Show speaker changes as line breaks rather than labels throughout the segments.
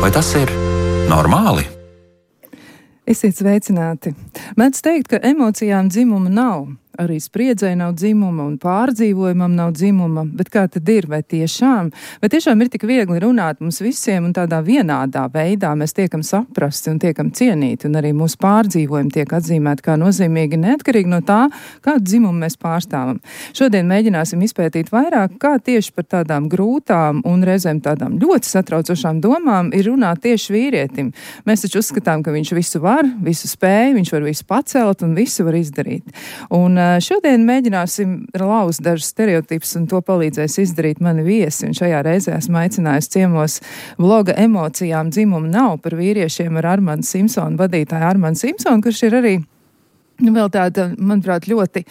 Vai tas ir normāli?
Esiet sveicināti. Mēdz teikt, ka emocijām dzimuma nav. Arī spriedzei nav dzimuma un pārdzīvojumam nav dzimuma, bet kā tad ir, vai tiešām ir tik viegli runāt mums visiem un tādā vienādā veidā mēs tiekam saprasti un tiekam cienīti, un arī mūsu pārdzīvojumi tiek atzīmēti kā nozīmīgi neatkarīgi no tā, kādu dzimumu mēs pārstāvam. Šodien mēģināsim izpētīt vairāk, kā tieši par tādām grūtām un reizēm tādām ļoti satraucošām domām ir runāt tieši vīrietim. Mēs taču uzskatām, ka viņš visu var, visu spēj, viņš var visu pacelt un visu var izdarīt. Un šodien mēģināsim lauzt dažus stereotipus, un to palīdzēs izdarīt mani viesi. Un šajā reizē esmu aicinājusi ciemos bloga Emocijām dzimuma nav par vīriešiem ar Armandu Simpsonu, vadītāju Armandu Simpsonu, kurš ir arī vēl tāda, manuprāt, ļoti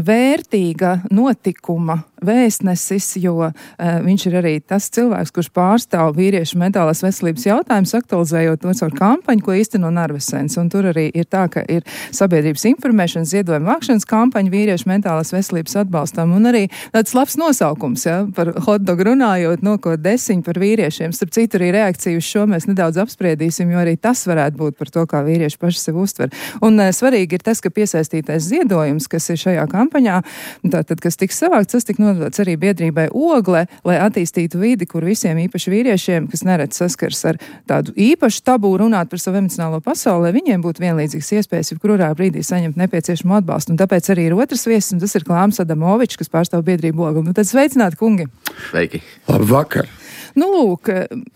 vērtīga notikuma vēstnesis, jo viņš ir arī tas cilvēks, kurš pārstāv vīriešu mentālās veselības jautājumus, aktualizējot to caur kampaņu, ko īsteno Narvesens. Un tur arī ir tā, ka ir sabiedrības informēšanas ziedojuma vākšanas kampaņa vīriešu mentālās veselības atbalstam, un arī tāds labs nosaukums, ja, par hotdogu runājot, nokot desiņu par vīriešiem. Starp citu, arī reakciju uz šo mēs nedaudz apspriedīsim, jo arī tas varētu būt par to, kā vīrieši paši sev uztver. Un svarīgi ir tas, ka piesaistītais ziedojums, kas ir šajā kampaņā, tātad, kas tiks savākts, tas tik nodots arī biedrībai Ogle, lai attīstītu vidi, kur visiem īpaši vīriešiem, kas neredz saskars ar tādu īpašu tabū runāt par savu emocionālo pasauli, lai viņiem būtu vienlīdzīgas iespējas, jebkurā brīdī saņemt nepieciešamo atbalstu. Un tāpēc arī ir otrs viesis, un tas ir Klāms Adamovičs, kas pārstāv biedrību Ogle. Nu tad sveicināti, kungi!
Sveiki!
Labvakar!
Nu, lūk,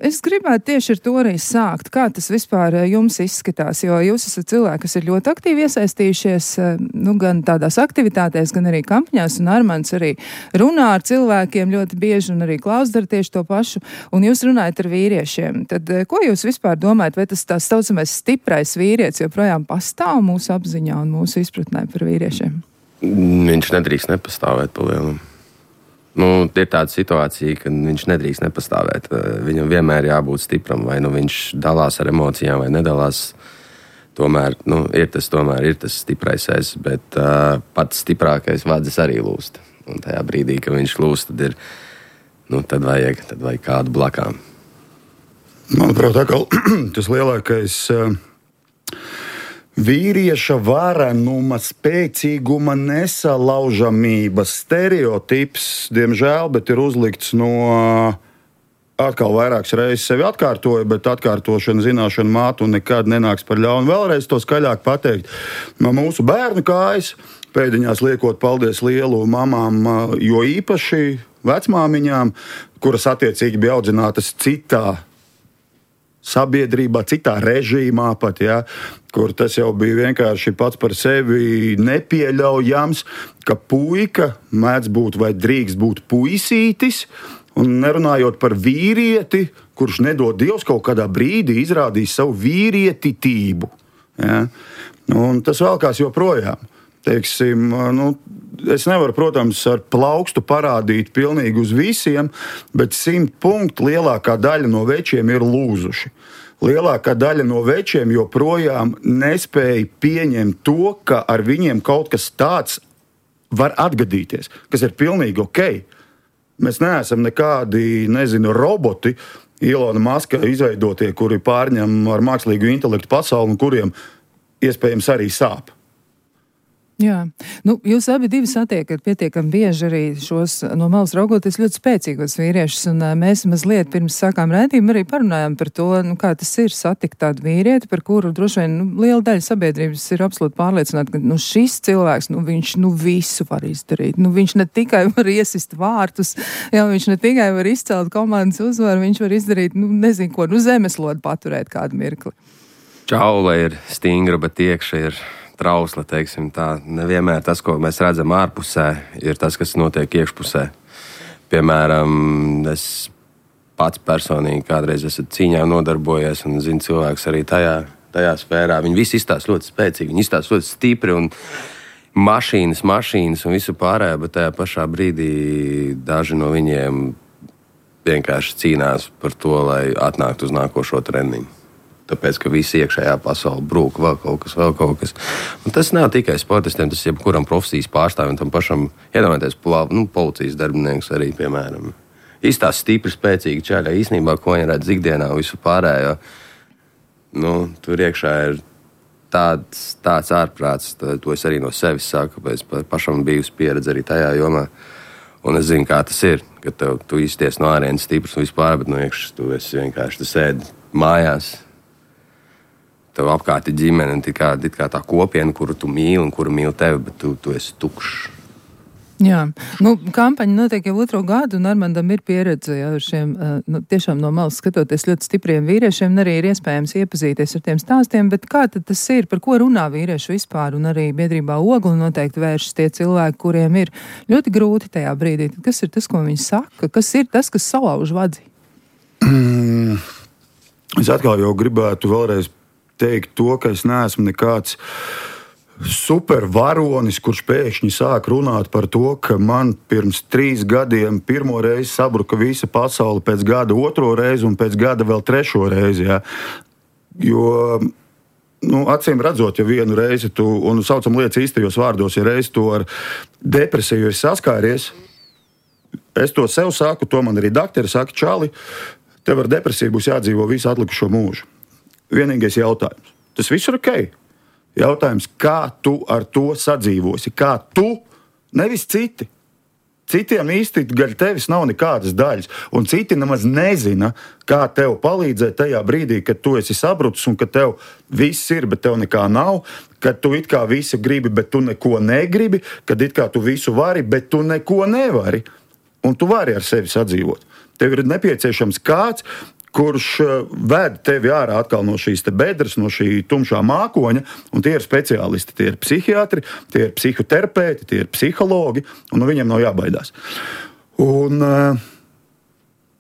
es gribētu tieši ar to arī sākt. Kā tas vispār jums izskatās? Jo jūs esat cilvēki, kas ir ļoti aktīvi iesaistījušies, gan tādās aktivitātēs, gan arī kampaņās, un Armands arī runā ar cilvēkiem ļoti bieži, un arī Klaus dara tieši to pašu, un jūs runājat ar vīriešiem. Tad, ko jūs vispār domājat, vai tas tās saucamais stiprais vīrietis joprojām pastāv mūsu apziņā un mūsu izpratnē par vīriešiem?
Viņš nedrīkst nepastāvēt pa lielam. Ir tāda situācija, ka viņš nedrīkst nepastāvēt. Viņam vienmēr jābūt stipram, vai viņš dalās ar emocijām, vai nedalās. Tomēr ir tas stiprais es, bet pats stiprākais vadzis arī lūst. Un tajā brīdī, kad viņš lūst, tad vajag kādu blakām.
Manuprāt, tas lielākais vīrieša varenuma, spēcīguma, nesalaužamības stereotips, diemžēl, bet ir uzlikts atkal vairākas reizes sevi atkārtoja, bet atkārtošana zināšana mātu un nekad nenāks par ļaunu. Vēlreiz to skaļāk pateikt. No mūsu bērnu kājas, pēdiņās liekot paldies lielu mamām, jo īpaši vecmāmiņām, kuras attiecīgi bija audzinātas citā sabiedrībā, citā režīmā pat, ja, kur tas jau bija vienkārši pats par sevi nepieļaujams, ka puika mēdz būt vai drīkst būt puisītis, un nerunājot par vīrieti, kurš nedod Dievs kaut kādā brīdī izrādīs savu vīrietitību. Ja. Un tas vēlkās joprojām. Teiksim, es nevaru, protams, ar plaukstu parādīt pilnīgi uz visiem, bet 100 punktu lielākā daļa no večiem ir lūzuši. Lielākā daļa no večiem joprojām nespēja pieņemt to, ka ar viņiem kaut kas tāds var atgadīties, kas ir pilnīgi ok. Mēs neesam nekādi, roboti, Ilona Maska izveidotie, kuri pārņem ar mākslīgu intelektu pasauli un kuriem iespējams arī sāp.
Jā, jūs abi divi satiekat pietiekami bieži arī šos no malas raugoties ļoti spēcīgos vīriešus, un mēs mazliet pirms sākām raidījumu arī parunājām par to, kā tas ir satikt tādu vīrieti, par kuru droši vien liela daļa sabiedrības ir absolūti pārliecināta, ka šis cilvēks, viņš visu var izdarīt. Viņš ne tikai var iesist vārtus, viņš ne tikai var izcelt komandas uzvaru, viņš var izdarīt, zemeslodu paturēt kādu mirkli.
Čaula ir stingra, bet iekšā ir trausla, teiksim tā. Nevienmēr tas, ko mēs redzam ārpusē, ir tas, kas notiek iekšpusē. Piemēram, es pats personīgi kādreiz esmu cīņā nodarbojies un zinu cilvēks arī tajā sfērā. Viņi visi izstāsta ļoti spēcīgi, viņi izstāsta ļoti stipri un mašīnas un visu pārējo, bet tajā pašā brīdī daži no viņiem vienkārši cīnās par to, lai atnāktu uz nākošo treniņu. Tāpēc, ka visi iekšējā pasaule brūk, vēl kaut kas. Un tas nav tikai sportistiem, tas jebkuram profesijas pārstāvim, tam pašam, iedomājieties, policijas darbinieks arī, piemēram. izstās stipri, spēcīgi čaļi. Īsnībā, ko viņi redz ikdienā, visu pārējo, tur iekšā ir tāds ārprāts. To es arī no sevis saku, kāpēc pašam bijusi pieredze arī tajā jomā. Un es zinu, kā tas ir, ka tu izties no ārienes stiprs un vispār, bet no iekšas tu esi vienkārši, tu sēdi mājās. Tev apkārt ir ģimene, un it kā tā kopiena, kuru tu mīli un kuru mīli tevi, bet tu esi tukšs.
Jā, kampaņa notiek jau 2. gadu, un Armandam ir pieredze ar šiem, tiešām no malas skatoties ļoti stipriem vīriešiem, un arī ir iespējams iepazīties ar tiem stāstiem, bet kā tad tas ir, par ko runā vīrieši vispār, un arī biedrībā Ogli noteikti vēršas tie cilvēki, kuriem ir ļoti grūti tajā brīdī. Tad kas ir tas, ko viņi saka? Kas ir tas, kas salauž vadzi?
Es atkal jau gribētu vēlreiz teikt to, ka es neesmu nekāds supervaronis, kurš pēkšņi sāk runāt par to, ka man pirms 3 gadiem pirmo reizi sabruka visa pasaule, pēc gada 2. reizi un pēc gada vēl 3. reizi. Ja? Jo, acīm redzot, ja vienu reizi tu, un saucam lietas īstajos vārdos, ja reizi tu ar depresiju esi saskāries, es to sev saku, to man arī dakteri saka, čali, tev ar depresiju būs jādzīvo visu atlikušo mūžu. Vienīgais jautājums. Tas viss ir ok. Jautājums, kā tu ar to sadzīvosi? Kā tu, nevis citi. Citiem īsti gaļ tevis nav nekādas daļas, un citi nemaz nezina, kā tev palīdzēt tajā brīdī, kad tu esi sabrucis un ka tev viss ir, bet tev nekā nav, kad tu it kā visu gribi, bet tu neko negribi, kad it kā tu visu vari, bet tu neko nevari, un tu vari ar sevi sadzīvot. Tev ir nepieciešams kāds, kurš ved tevi ārā atkal no šīs te bedres, no šī tumšā mākoņa, un tie ir speciālisti, tie ir psihiatri, tie ir psihoterapeiti, tie ir psihologi, un no viņiem nav jābaidās. Un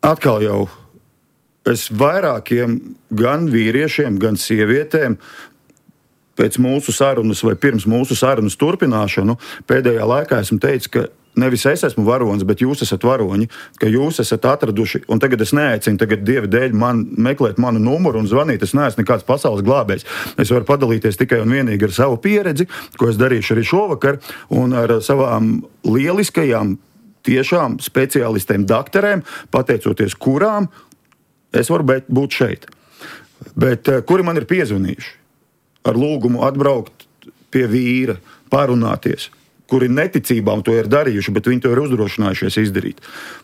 atkal jau es vairākiem gan vīriešiem, gan sievietēm pēc mūsu sarunas vai pirms mūsu sarunas turpināšanu pēdējā laikā esmu teicis, ka nevis es esmu varonis, bet jūs esat varoņi, ka jūs esat atraduši, un tagad es neaicinu Dieva dēļ meklēt manu numuru un zvanīt, es neesmu nekāds pasaules glābējs. Es varu padalīties tikai un vienīgi ar savu pieredzi, ko es darīšu arī šovakar, un ar savām lieliskajām, tiešām speciālistēm, dakterēm, pateicoties kurām es varu būt šeit. Bet kuri man ir piezvanījuši ar lūgumu atbraukt pie vīra, parunāties, kuri neticībām to ir darījuši, bet viņi to ir uzdrošinājušies izdarīt.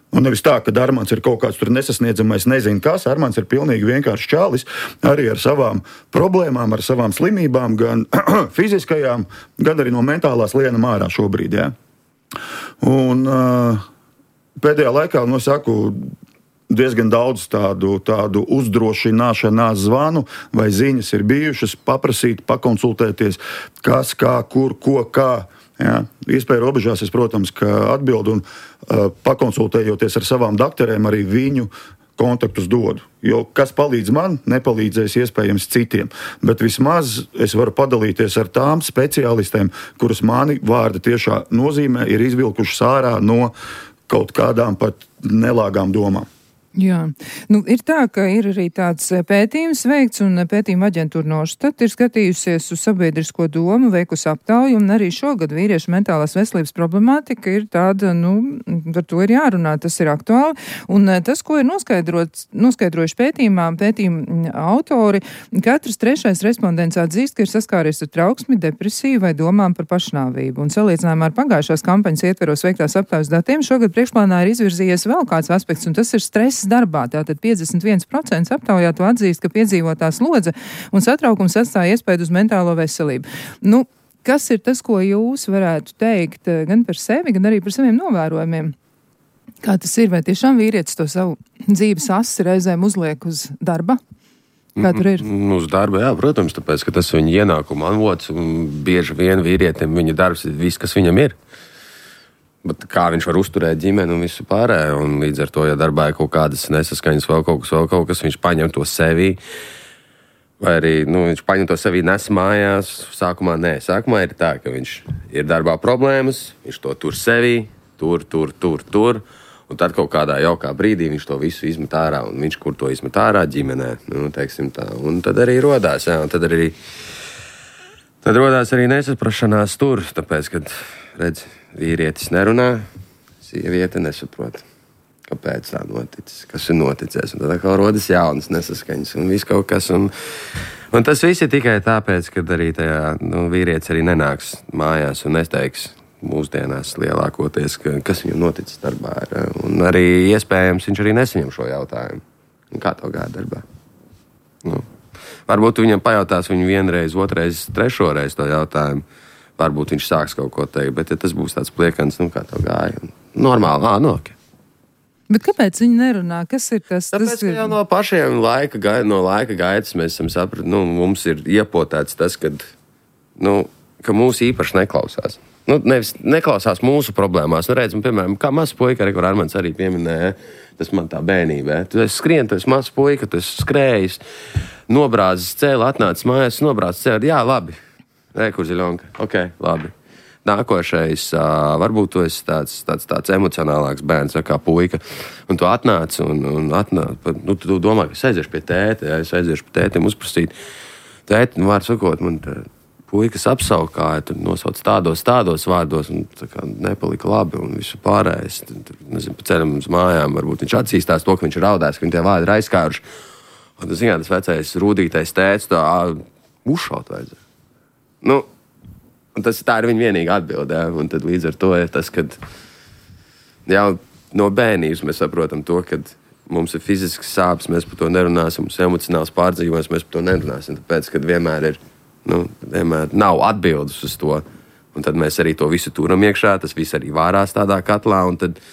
Un nevis tā, ka Armands ir kaut kāds tur nesasniedzamais, nezinu kas, Armands ir pilnīgi vienkārši čalis, arī ar savām problēmām, ar savām slimībām, gan fiziskajām, gan arī no mentālās lienam ārā šobrīd. Ja? Un pēdējā laikā, saku, diezgan daudz tādu uzdrošināšanās zvanu vai ziņas ir bijušas, paprasīt, pakonsultēties, kas, kā, kur, ko, kā. Jā, iespēja robežās es, protams, ka atbildu un pakonsultējoties ar savām dakterēm arī viņu kontaktus dodu. Jo kas palīdz man, nepalīdzēs iespējams citiem. Bet vismaz es varu padalīties ar tām speciālistēm, kuras mani vārda tiešā nozīmē ir izvilkušas ārā no kaut kādām pat nelāgām domām.
Jā, ir tā, ka ir arī tāds pētījums veikts, un pētījuma aģentūra Norstat ir skatījusies uz sabiedrisko domu, veikusi aptauju, un arī šogad vīriešu mentālās veselības problemātika ir tāda, par to ir jārunā, tas ir aktuāli, un tas, ko ir noskaidrojuši pētījuma autori, katrs 3. respondents atzīst, ka ir saskāries ar trauksmi, depresiju vai domām par pašnāvību, un salīdzinājumā ar pagājušās kampaņas ietveros veiktās aptaujas datiem, šogad priekšplānā ir izvirzījies vēl kāds aspekts, un tas ir stress darbā. Tātad 51% aptaujāto atzīst, ka piedzīvotā slodze un satraukums atstāja iespaidu uz mentālo veselību. Kas ir tas, ko jūs varētu teikt gan par sevi, gan arī par saviem novērojumiem? Kā tas ir? Vai tiešām vīrietis to savu dzīves asi reizēm uzliek uz darba? Kā tur ir?
Uz darba, jā, protams, tāpēc, ka tas ir viņa ienākuma avots, un bieži vien vīrietim viņa darbs ir viss, kas viņam ir. Bet kā viņš var uzturēt ģimeni un visu pārējo, un līdz ar to, ja darbā ir kaut kādas nesaskaņas, vēl kaut kas, viņš paņem to sevī, vai arī, viņš paņem to sevī, nes mājās. Sākumā ir tā, ka viņš ir darbā problēmas, viņš to tur sevī, tur, un tad kaut kādā jaukā brīdī viņš to visu izmet ārā, un viņš kur to izmet ārā ģimenē, teiksim tā, un tad arī rodās, jā, un tad rodās arī nesaprašanās tur, tāpēc, kad, redz, vīrietis nerunā, sieviete nesaprot. kāpēc tā noticis, kas ir noticies. Un tad atkal rodas jaunas nesaskaņas un viss kaut kas. Un tas viss ir tikai tāpēc, ka arī tajā vīrietis arī nenāks mājās un neteiks mūsdienās lielākoties, kas viņam noticis darbā. Un arī iespējams viņš arī nesaņem šo jautājumu. Un kā tev gāja darbā? Varbūt viņam pajautās viņu vienreiz, otrais, trešoreiz to jautājumu. Varbūt viņš sāks kaut ko teikt, bet ja tas būs tāds pliekans, kā tev gāja? Normāli, ok.
Bet kāpēc viņi nerunā? Kas ir tas?
Tāpēc, ka jau no pašiem laika gaitas mēs esam sapratuši, mums ir iepotēts tas, ka mūs īpaši neklausās. Nevis neklausās mūsu problēmās. Redzam, piemēram, kā mazs puika, kur Armands arī pieminēja, tas man tā bērnībā. Tu esi skrien, tu esi mazs puika, tu esi skrējis, nobrāzis cēli, atnācis mājās, nobrāzis cēli. Jā, labi. Kur ziļonka. Ok, labi. Nākošais, varbūt tu esi tāds emocionālāks bērns, kā puika, un tu atnāc tu domā, ka es aiziešu pie tēta, es aiziešu pie tētiem uzprasīt. Tēti, vārdu sakot, man puikas apsaukāja, tu nosauc tādos vārdos, un tā kā nepalika labi, un visu pārējais. Nezinu, pa ceļam uz mājām, varbūt viņš atzīstās to, ka viņš ir raudājis, ka viņi tie vārdi ir aizskāruši. Un tu zināt, tas vecais rūdītais tēts, tā uzšaut vajadzēja. Un tā ir viņa vienīga atbilde. Un tad līdz ar to ir tas, ka jau no bērnības mēs saprotam to, ka mums ir fizisks sāpes, mēs par to nerunāsim, mums ir emocionāls pārdzīvojums, mēs par to nerunāsim. Tāpēc, ka vienmēr nav atbildes uz to. Un tad mēs arī to visu turam iekšā, tas viss arī vārās tādā katlā. Un tad,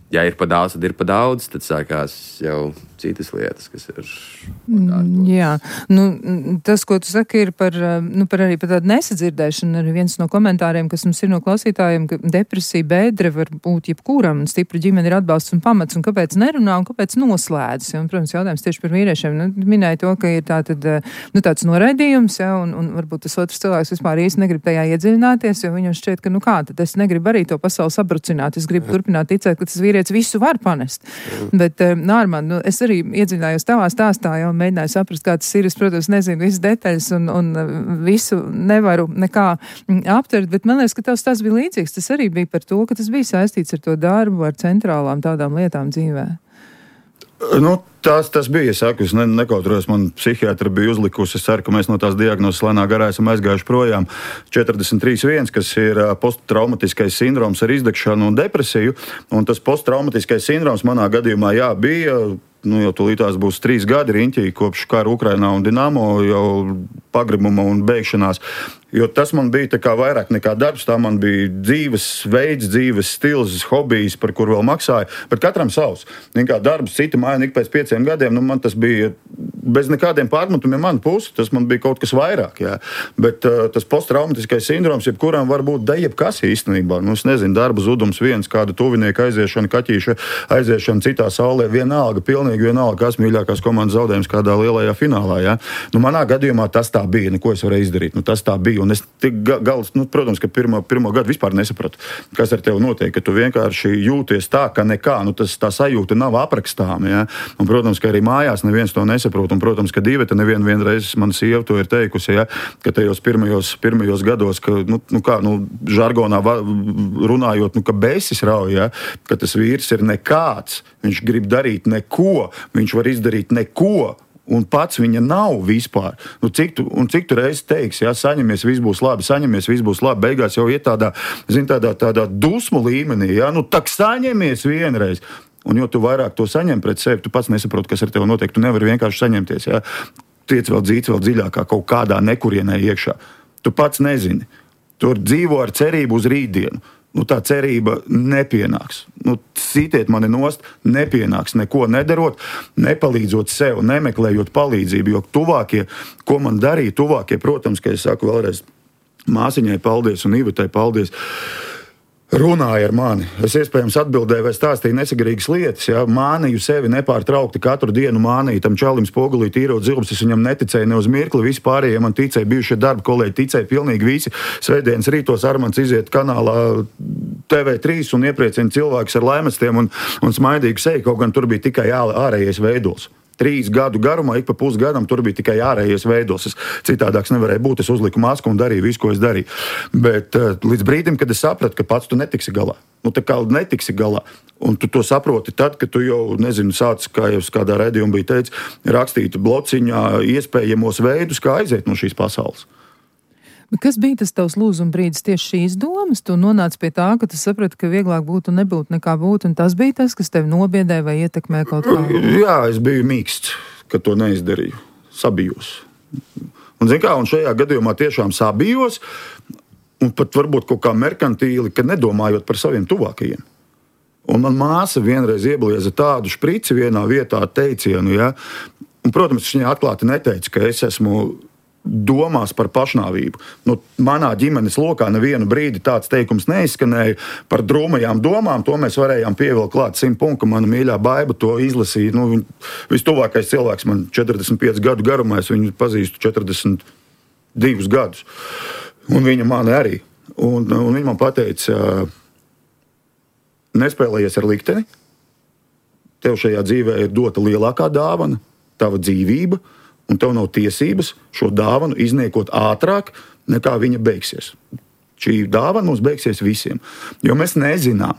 ja ir pa daudz, tad ir pa daudz, tad sākās jau citas lietas, kas ir
jā, tas, ko tu saki, ir par tādu nesadzirdēšanu. Arī viens no komentāriem, kas mums ir no klausītājiem, ka depresija, bēdre var būt jebkuram, un stipra ģimene ir atbalsts un pamats, un kāpēc nerunā, un kāpēc noslēdzas. Un, protams, jautājums tieši par vīriešiem. Minēja to, ka ir tāds noraidījums, un varbūt tas otrs cilvēks vispār īsti negrib tajā iedziļināties, jo viņam šķiet, ka tad es negribu arī to pasauli sabrucināt, es gribu turpināt ticēt, ka tas vīrietis visu var panest. Bet, Nārman, es arī iedziļinājos tavā stāstā, jau mēģināju saprast, kā tas ir. Es, protams, nezinu visas detaļas un visu nevaru nekā aptvert, bet man liekas, ka tavs tas bija līdzīgs. Tas arī bija par to, ka tas bija saistīts ar to darbu, ar centrālām tādām lietām dzīvē.
Tas bija, es saku, es nekautrojos, man psihiatra bija uzlikusi, es ceru, ka mēs no tās diagnozes lēnā garā esam aizgājuši projām 43.1, kas ir posttraumatiskais sindroms ar izdegšanu un depresiju, un tas posttraumatiskais sindroms manā gadījumā, bija, jau tūlītās būs 3 gadi riņķī, kopš kara Ukrainā un Dinamo jau pagribuma un beigšanās. Jo tas man bija tā kā vairāk nekā darbs, tā man bija dzīves veids, dzīves stils, hobijs, par kur vēl maksāja, bet katram savs. Kā darbs, cita maina ik pēc 5 gadiem, man tas bija bez nekādiem pārmetumiem man pusi, tas man bija kaut kas vairāk, jā. Bet tas posttraumatiskais sindroms, jebkuram var būt jebkas īstenībā. Es nezinu, darba zudums viens, kāda tuvinieka aiziešana, kaķīša aiziešana citā saulē, vienalga, pilnīgi vienalga, kas mīļākās komandas zaudējums kādā lielajā finālā, jā. Manā gadījumā tas tā bija, ko es varēju izdarīt, tas tā bija. Un es protams, ka pirmo gadu vispār nesapratu, kas ar tevi notiek, ka tu vienkārši jūties tā, ka nekā, tā sajūta nav aprakstāma, ja? Un, protams, ka arī mājās neviens to nesaprot, un, protams, ka Dīveta vienreiz man sieva to ir teikusi, ja? Ka tajos pirmajos gados, ka, žargonā runājot, ka besis rauj, ja? Ka tas vīrs ir nekāds, viņš grib darīt neko, viņš var izdarīt neko, un pats viņa nav vispār. Cik tu reizi teiksi, ja, saņemies, viss būs labi, beigās jau iet tādā dusmu līmenī, ja, tak saņemies vienreiz. Un jo tu vairāk to saņem pret sevi, tu pats nesaproti, kas ar tevi notiek, tu nevari vienkārši saņemties, ja. Tiec vēl dziļākā kaut kādā nekurienē iekšā. Tu pats nezini. Tur dzīvo ar cerību uz rītdienu. Tā cerība nepienāks. Citiet mani nost, nepienāks neko nedarot, nepalīdzot sev, nemeklējot palīdzību, jo tuvākie, ko man darīja, protams, ka es saku vēlreiz māsiņai paldies un Ivetai paldies, runāja ar mani. Es iespējams atbildēju vai stāstīju nesagarīgas lietas, ja? Mānīju sevi nepārtraukti katru dienu, mānīju tam čalim spogulī tīrot zilbus, es viņam neticēju ne uz mirkli, visi pārējie man ticēja, bijušie darba kolēģi ticēja pilnīgi visi. Svētdienas rītos Armands iziet kanālā TV3 un iepriecina cilvēkus ar laimestiem un smaidīgu seju, kaut gan tur bija tikai ārējais veidols. 3 gadu garumā, ik pa pusgadam, tur bija tikai ārējais veidos. Citādāks nevarēja būt, es uzliku masku un darīju visu, ko es darīju. Bet līdz brīdim, kad es sapratu, ka pats tu netiksi galā. Tā kā netiksi galā. Un tu to saproti tad, kad tu jau, sāc, kā jau kādā redzījumā bija teicis, rakstīt blociņā iespējamos veidus, kā aiziet no šīs pasaules.
Kas bija tas tavs lūzuma brīdis tieši šīs domas? Tu nonāci pie tā, ka tu saprati, ka vieglāk būtu un nebūtu nekā būtu, un tas bija tas, kas tevi nobiedēja vai ietekmē kaut kā?
Jā, es biju mīksts, ka to neizdarīju. Sabijos. Un šajā gadījumā tiešām sabijos, un pat varbūt kaut kā merkantīli, ka nedomājot par saviem tuvākajiem. Un man māsa vienreiz ieblieza tādu šprici vienā vietā teicienu, ja? Un, protams, viņa atklāti neteica, ka es esmu domās par pašnāvību. Manā ģimenes lokā nevienu brīdi tāds teikums neizskanēja par drūmajām domām. To mēs varējām pievilkt klāt 100 punktu. Mana mīļā Baiba to izlasīja. Vistuvākais cilvēks man 45 gadu garumā. Es viņu pazīstu 42 gadus. Un viņa mani arī. Un viņa man pateica, nespēlējies ar likteni. Tev šajā dzīvē ir dota lielākā dāvana, tava dzīvība, un tev nav tiesības šo dāvanu izniekot ātrāk, nekā viņa beigsies. Šī dāvana mums beigsies visiem, jo mēs nezinām,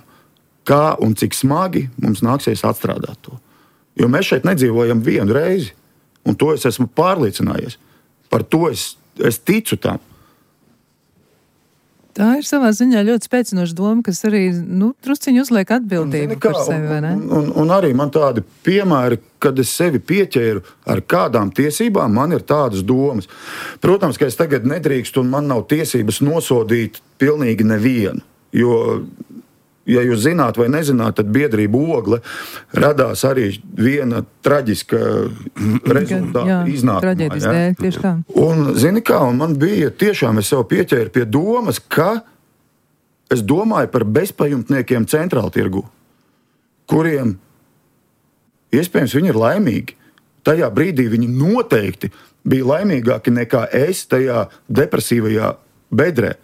kā un cik smagi mums nāksies atstrādāt to. Jo mēs šeit nedzīvojam vienu reizi, un to es esmu pārliecinājies. Par to es ticu tam.
Tā ir savā ziņā ļoti spēcinoša doma, kas arī trusciņi uzliek atbildību par sevi, vai ne?
Un arī man tādi piemēri, kad es sevi pieķēru ar kādām tiesībām, man ir tādas domas. Protams, ka es tagad nedrīkstu un man nav tiesības nosodīt pilnīgi nevienu, jo, ja jūs zināt vai nezināt, tad biedrība Ogle radās arī viena traģiska rezultāta iznākumā.
Traģēdijas dēļ, tieši tā.
Un, un man bija tiešām, es sev pieķēru pie domas, ka es domāju par bezpajumtniekiem centrāla tirgu, kuriem iespējams viņi ir laimīgi. Tajā brīdī viņi noteikti bija laimīgāki nekā es tajā depresīvajā bedrē.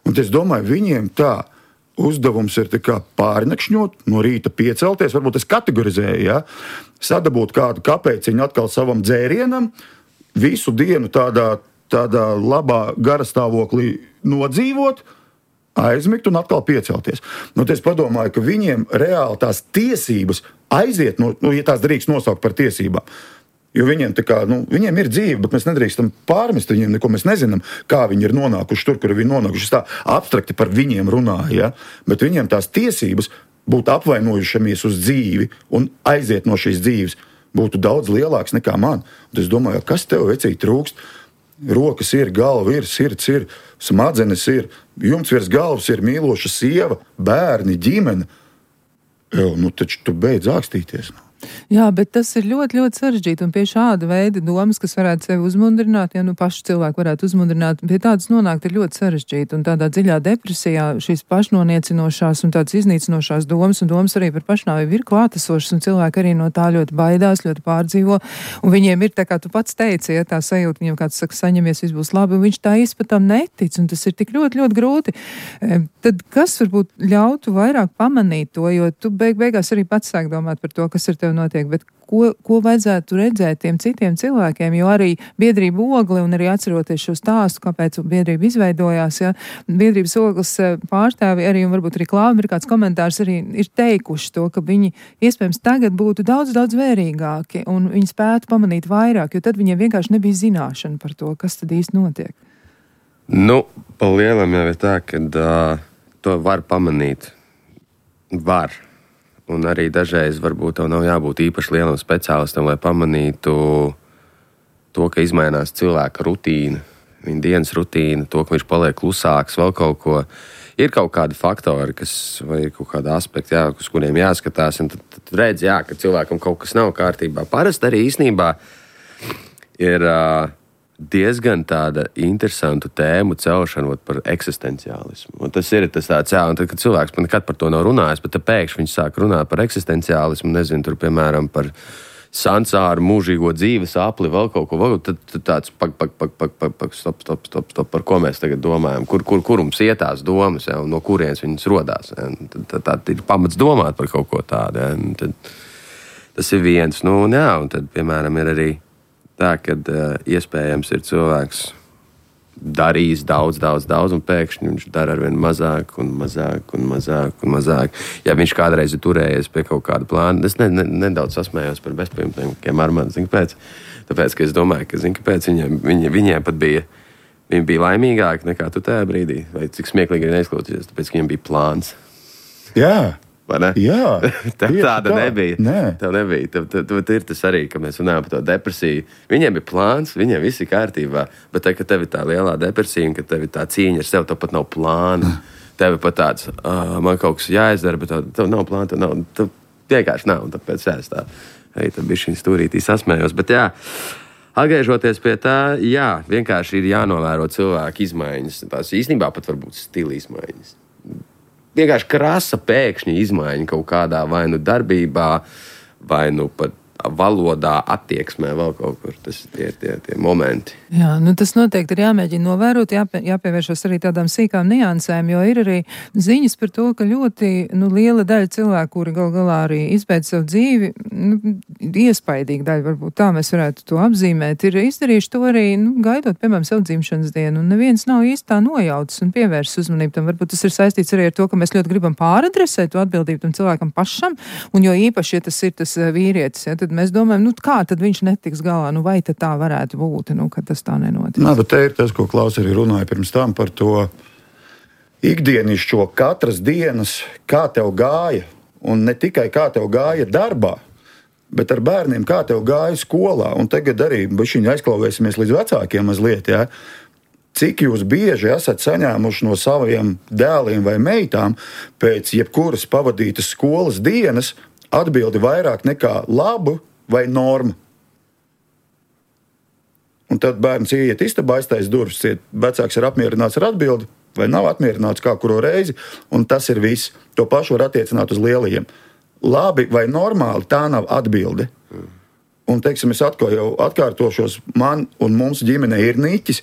Un es domāju, viņiem tā uzdevums ir pārnakšņot, no rīta piecelties, varbūt es kategorizēju, ja? Sadabūt kādu kapēciņu atkal savam dzērienam, visu dienu tādā labā garastāvoklī nodzīvot, aizmigt un atkal piecelties. Es padomāju, ka viņiem reāli tās tiesības aiziet, ja tās drīkst nosaukt par tiesībām. Jo viņiem, viņiem ir dzīve, bet mēs nedrīkstam pārmest viņiem neko. Mēs nezinām, kā viņi ir nonākuši tur, kur viņi ir nonākuši. Es tā abstrakti par viņiem runāju, ja? Bet viņiem tās tiesības būt apvainojušamies uz dzīvi un aiziet no šīs dzīves būtu daudz lielāks nekā man. Un es domāju, kas tev vecīgi trūkst? Rokas ir, galva ir, sirds ir, smadzenes ir, jumts virs galvas ir, mīloša sieva, bērni, ģimene. Taču tu beidz ākstīties.
Jā, bet tas ir ļoti, ļoti sarežģīti, un pie šāda veida domas, kas varētu sevi uzmundrināt, ja paši cilvēki varētu uzmundrināt, pie tādas nonākt ir ļoti sarežģīti, un tādā dziļā depresijā šīs pašnoniecinošās un tādas iznīcinošās domas, un domas arī par pašnāvību ir klātesošas, un cilvēki arī no tā ļoti baidās, ļoti pārdzīvo, un viņiem ir, tā kā tu pats teici, ja tā sajūta, viņiem kāds saka, saņemies, viss būs labi, un viņš tā izpatam netic, un tas ir tik ļoti, ļoti grūti. Tad kas varbūt ļautu vairāk pamanīt to, jo tu beigās arī pats sāk domāt par to, kas ir tev notiek, bet ko vajadzētu redzēt tiem citiem cilvēkiem, jo arī biedrība Ogle un arī atceroties šo stāstu, kāpēc biedrība izveidojās, ja, biedrības Ogles pārstāvi arī un varbūt arī Klāva ir kāds komentārs arī ir teikuši to, ka viņi iespējams tagad būtu daudz, daudz vērīgāki un viņi spētu pamanīt vairāk, jo tad viņiem vienkārši nebija zināšana par to, kas tad īsti notiek.
Pa lielam jau ir tā, ka to var pamanīt. Var. Un arī dažreiz varbūt tev nav jābūt īpaši lielam speciālistam, lai pamanītu to, ka izmainās cilvēka rutīna, viņa dienas rutīna, to, ka viņš paliek klusāks, vēl kaut ko. Ir kaut kādi faktori, vai ir kaut kādi aspekti, uz kuriem jāskatās, un tad redz, ka cilvēkam kaut kas nav kārtībā. Parasti arī īstenībā ir diezgan tāda interesantu tēmu celšana par eksistenciālismu. Un tas ir tas tāds, un tad, kad cilvēks nekad par to nav runājis, bet pēkšņi viņš sāk runāt par eksistenciālismu, nezinu, tur, piemēram, par sansāru, mūžīgo dzīves apli, vēl kaut ko, tad tāds stop, par ko mēs tagad domājam, kur mums ietās domas, un no kurienes viņas rodās. Tad ir pamats domāt par kaut ko tādu. Tad, tas ir viens. Un tad, piemēram, ir arī tā, kad iespējams ir cilvēks darījis daudz, un pēkšņi viņš dara arvien mazāk. Ja viņš kādreiz ir turējies pie kaut kāda plāna, es nedaudz sasmējos par bezpajumtniekiem Armandu, zini, kāpēc? Tāpēc, ka es domāju, ka, zini, kāpēc viņiem pat bija, viņi bija laimīgāki nekā tu tajā brīdī, vai cik smieklīgi arī neizklausīties, tāpēc, ka viņiem bija plāns.
Jā.
Vai ne?
Jā,
tāda nebija.
Nē.
Tev nebija. Tev ir tas arī, ka mēs runājam par to depresiju. Viņiem ir plāns, viņiem viss ir kārtībā, bet te, ka tev ir tā lielā depresija un ka tev ir tā cīņa ar sevi, tev pat nav plāna. Tev ir pat tāds, man kaut kas jāizdara, bet tev nav plāna, tev vienkārši nav, un tāpēc es tā, tad bišķiņ stūrītī sasmējos. Bet jā, atgriežoties pie tā, jā, vienkārši ir jānovēro cilvēku izmaiņas. Tās īstenībā pat varbūt stila izmaiņas. Vienkārši krasa pēkšņi izmaiņa kaut kādā vai nu darbībā, vai nu pat valodā, attieksmē, vēl kaut kur. Tas ir tie momenti.
Jā, nu tas noteikti ir jāmēģina novērot, jāpievēršas arī tādām sīkām niansēm, jo ir arī ziņas par to, ka ļoti liela daļa cilvēku, kuri gal galā arī izbeidz savu dzīvi, iespaidīga daļa, varbūt tā mēs varētu to apzīmēt, ir izdarījuši to arī, gaidot, piemēram, savu dzimšanas dienu, un neviens nav īsti tā nojautis un pievērsis uzmanību tam. Varbūt tas ir saistīts arī ar to, ka mēs ļoti gribam pāradresēt to atbildību tam cilvēkam pašam, un jo īpaši, ja tas ir tas vīrietis, ja, tad mēs domājam, kā tad viņš netiks galā, vai tad tā varētu būt, ka tas tā nenotiks.
Nā, bet te ir tas, ko Klaus arī runāja pirms tam par to ikdienišķo katras dienas, kā tev gāja, un ne tikai kā tev gāja darbā, bet ar bērniem, kā tev gāja skolā, un tagad arī bišķiņi aizklauvēsimies līdz vecākiem mazliet, ja? Cik jūs bieži esat saņēmuši no saviem dēliem vai meitām pēc jebkuras pavadītas skolas dienas atbildi vairāk nekā labu vai norma. Un tad bērns ieiet istabā, aiztais durvis, vecāks ir apmierināts ar atbildi, vai nav apmierināts kā kuro reizi, un tas ir viss. To pašu var attiecināt uz lielajiem. Labi vai normāli, tā nav atbilde. Un, teiksim, es atkal jau atkārtošos, man un mums ģimene ir niķis,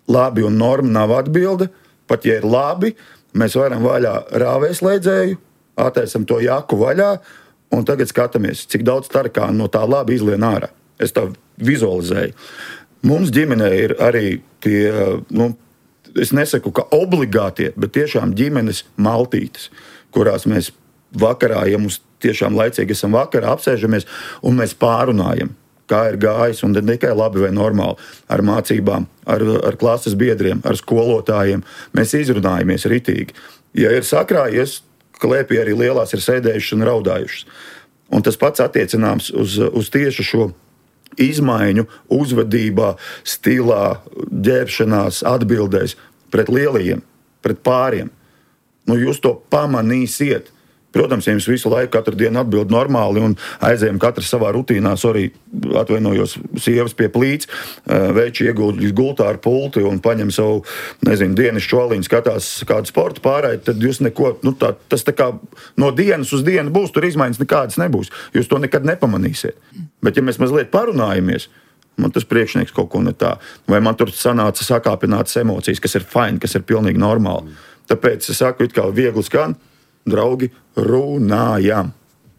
labi un norma nav atbilde, pat ja ir labi, mēs varam vaļā rāvēslēdzēju, attaisam to jaku vaļā, un tagad skatāmies, cik daudz tarkānu no tā labi izlien ārā. Es tā vizualizēju. Mums ģimenē ir arī tie, es nesaku, ka obligātie, bet tiešām ģimenes maltītes, kurās mēs vakarā, ja mums tiešām laicīgi esam vakarā, apsēžamies un mēs pārunājam, kā ir gājis, un ne tikai labi vai normāli, ar mācībām, ar klases biedriem, ar skolotājiem. Mēs izrunājamies ritīgi. Ja ir sakrājies, klēpī arī lielās ir sēdējušas un raudājušas. Un tas pats attiecināms uz tieši šo izmaiņu uzvedībā, stilā, ģērbšanās, atbildēs pret lielajiem, pret pāriem. Jūs to pamanīsiet. Protams, ja jums visu laiku, katru dienu atbild normāli un aizējam katrs savā rutīnā, atvainojos sievas pie plīts, veči ieguldīs gultā ar pulti un paņem savu, dienas čoliņu, skatās kādu sportu pārēju, tad jūs neko, tas tā kā no dienas uz dienu būs, tur izmaiņas nekādas nebūs. Jūs to nekad nepamanīsiet. Bet ja mēs mazliet parunājamies, man tas priekšnieks kaut ko ne tā, vai man tur sanāca sakāpinātas emocijas, kas ir fine, kas ir pilnīgi normāli. Tāpēc es saku, it kā viegli skan, draugi, runājam.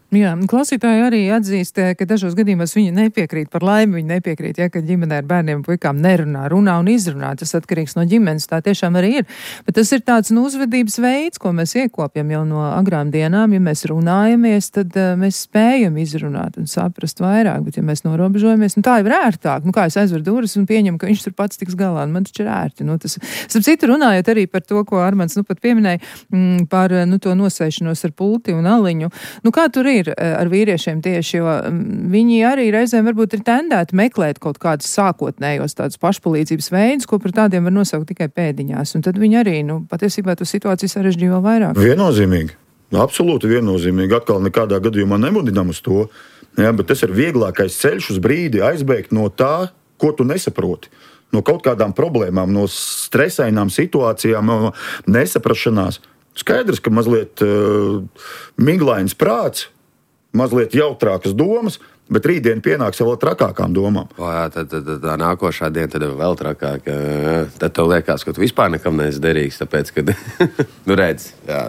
Jā, klausītāji arī atzīst, ka dažos gadījumos viņi nepiekrīt, par laimi viņi nepiekrīt, ka ģimenē ar bērniem un puikām runā un izrunā. Tas atkarīgs no ģimenes, tā tiešām arī ir. Bet tas ir tāds uzvedības veids, ko mēs iekopjam jau no agrām dienām. Ja mēs runājamies, tad mēs spējam izrunāt un saprast vairāk. Bet ja mēs norobežojamies, tā jau ir ērtāk. Kā es aizveru durvis un pieņemu, ka viņš tur pats tiks galā, man taču ir ērti. Tas, starp citu, runājot arī par to, ko Armands pat pieminēja, par to nosēšanos ar pulti un aliņu. Kā tur ir ar vīriešiem tieši, jo viņi arī reizēm varbūt ir tendēti meklēt kaut kādus sākotnējos tādus pašpalīdzības veidus, ko par tādiem var nosaukt tikai pēdiņās. Un tad viņi arī, patiesībā to situāciju sarežģīja vēl vairāk.
Viennozīmīgi. Absolūti viennozīmīgi. Atkal nekādā gadījumā nemudinām uz to. Jā, bet tas ir vieglākais ceļš uz brīdi aizbēgt no tā, ko tu nesaproti. No kaut kādām problēmām, no stresainām situācijām, no nesaprašanās. Skaidrs, ka mazliet miglains prāts, mazliet jautrākas domas, bet rītdien pienāks vēl trakākām domām.
Tad tā nākošā diena tad vēl trakāk. Tad tev liekas, ka tu vispār nekam neesi derīgs, tāpēc, ka, redz, jā,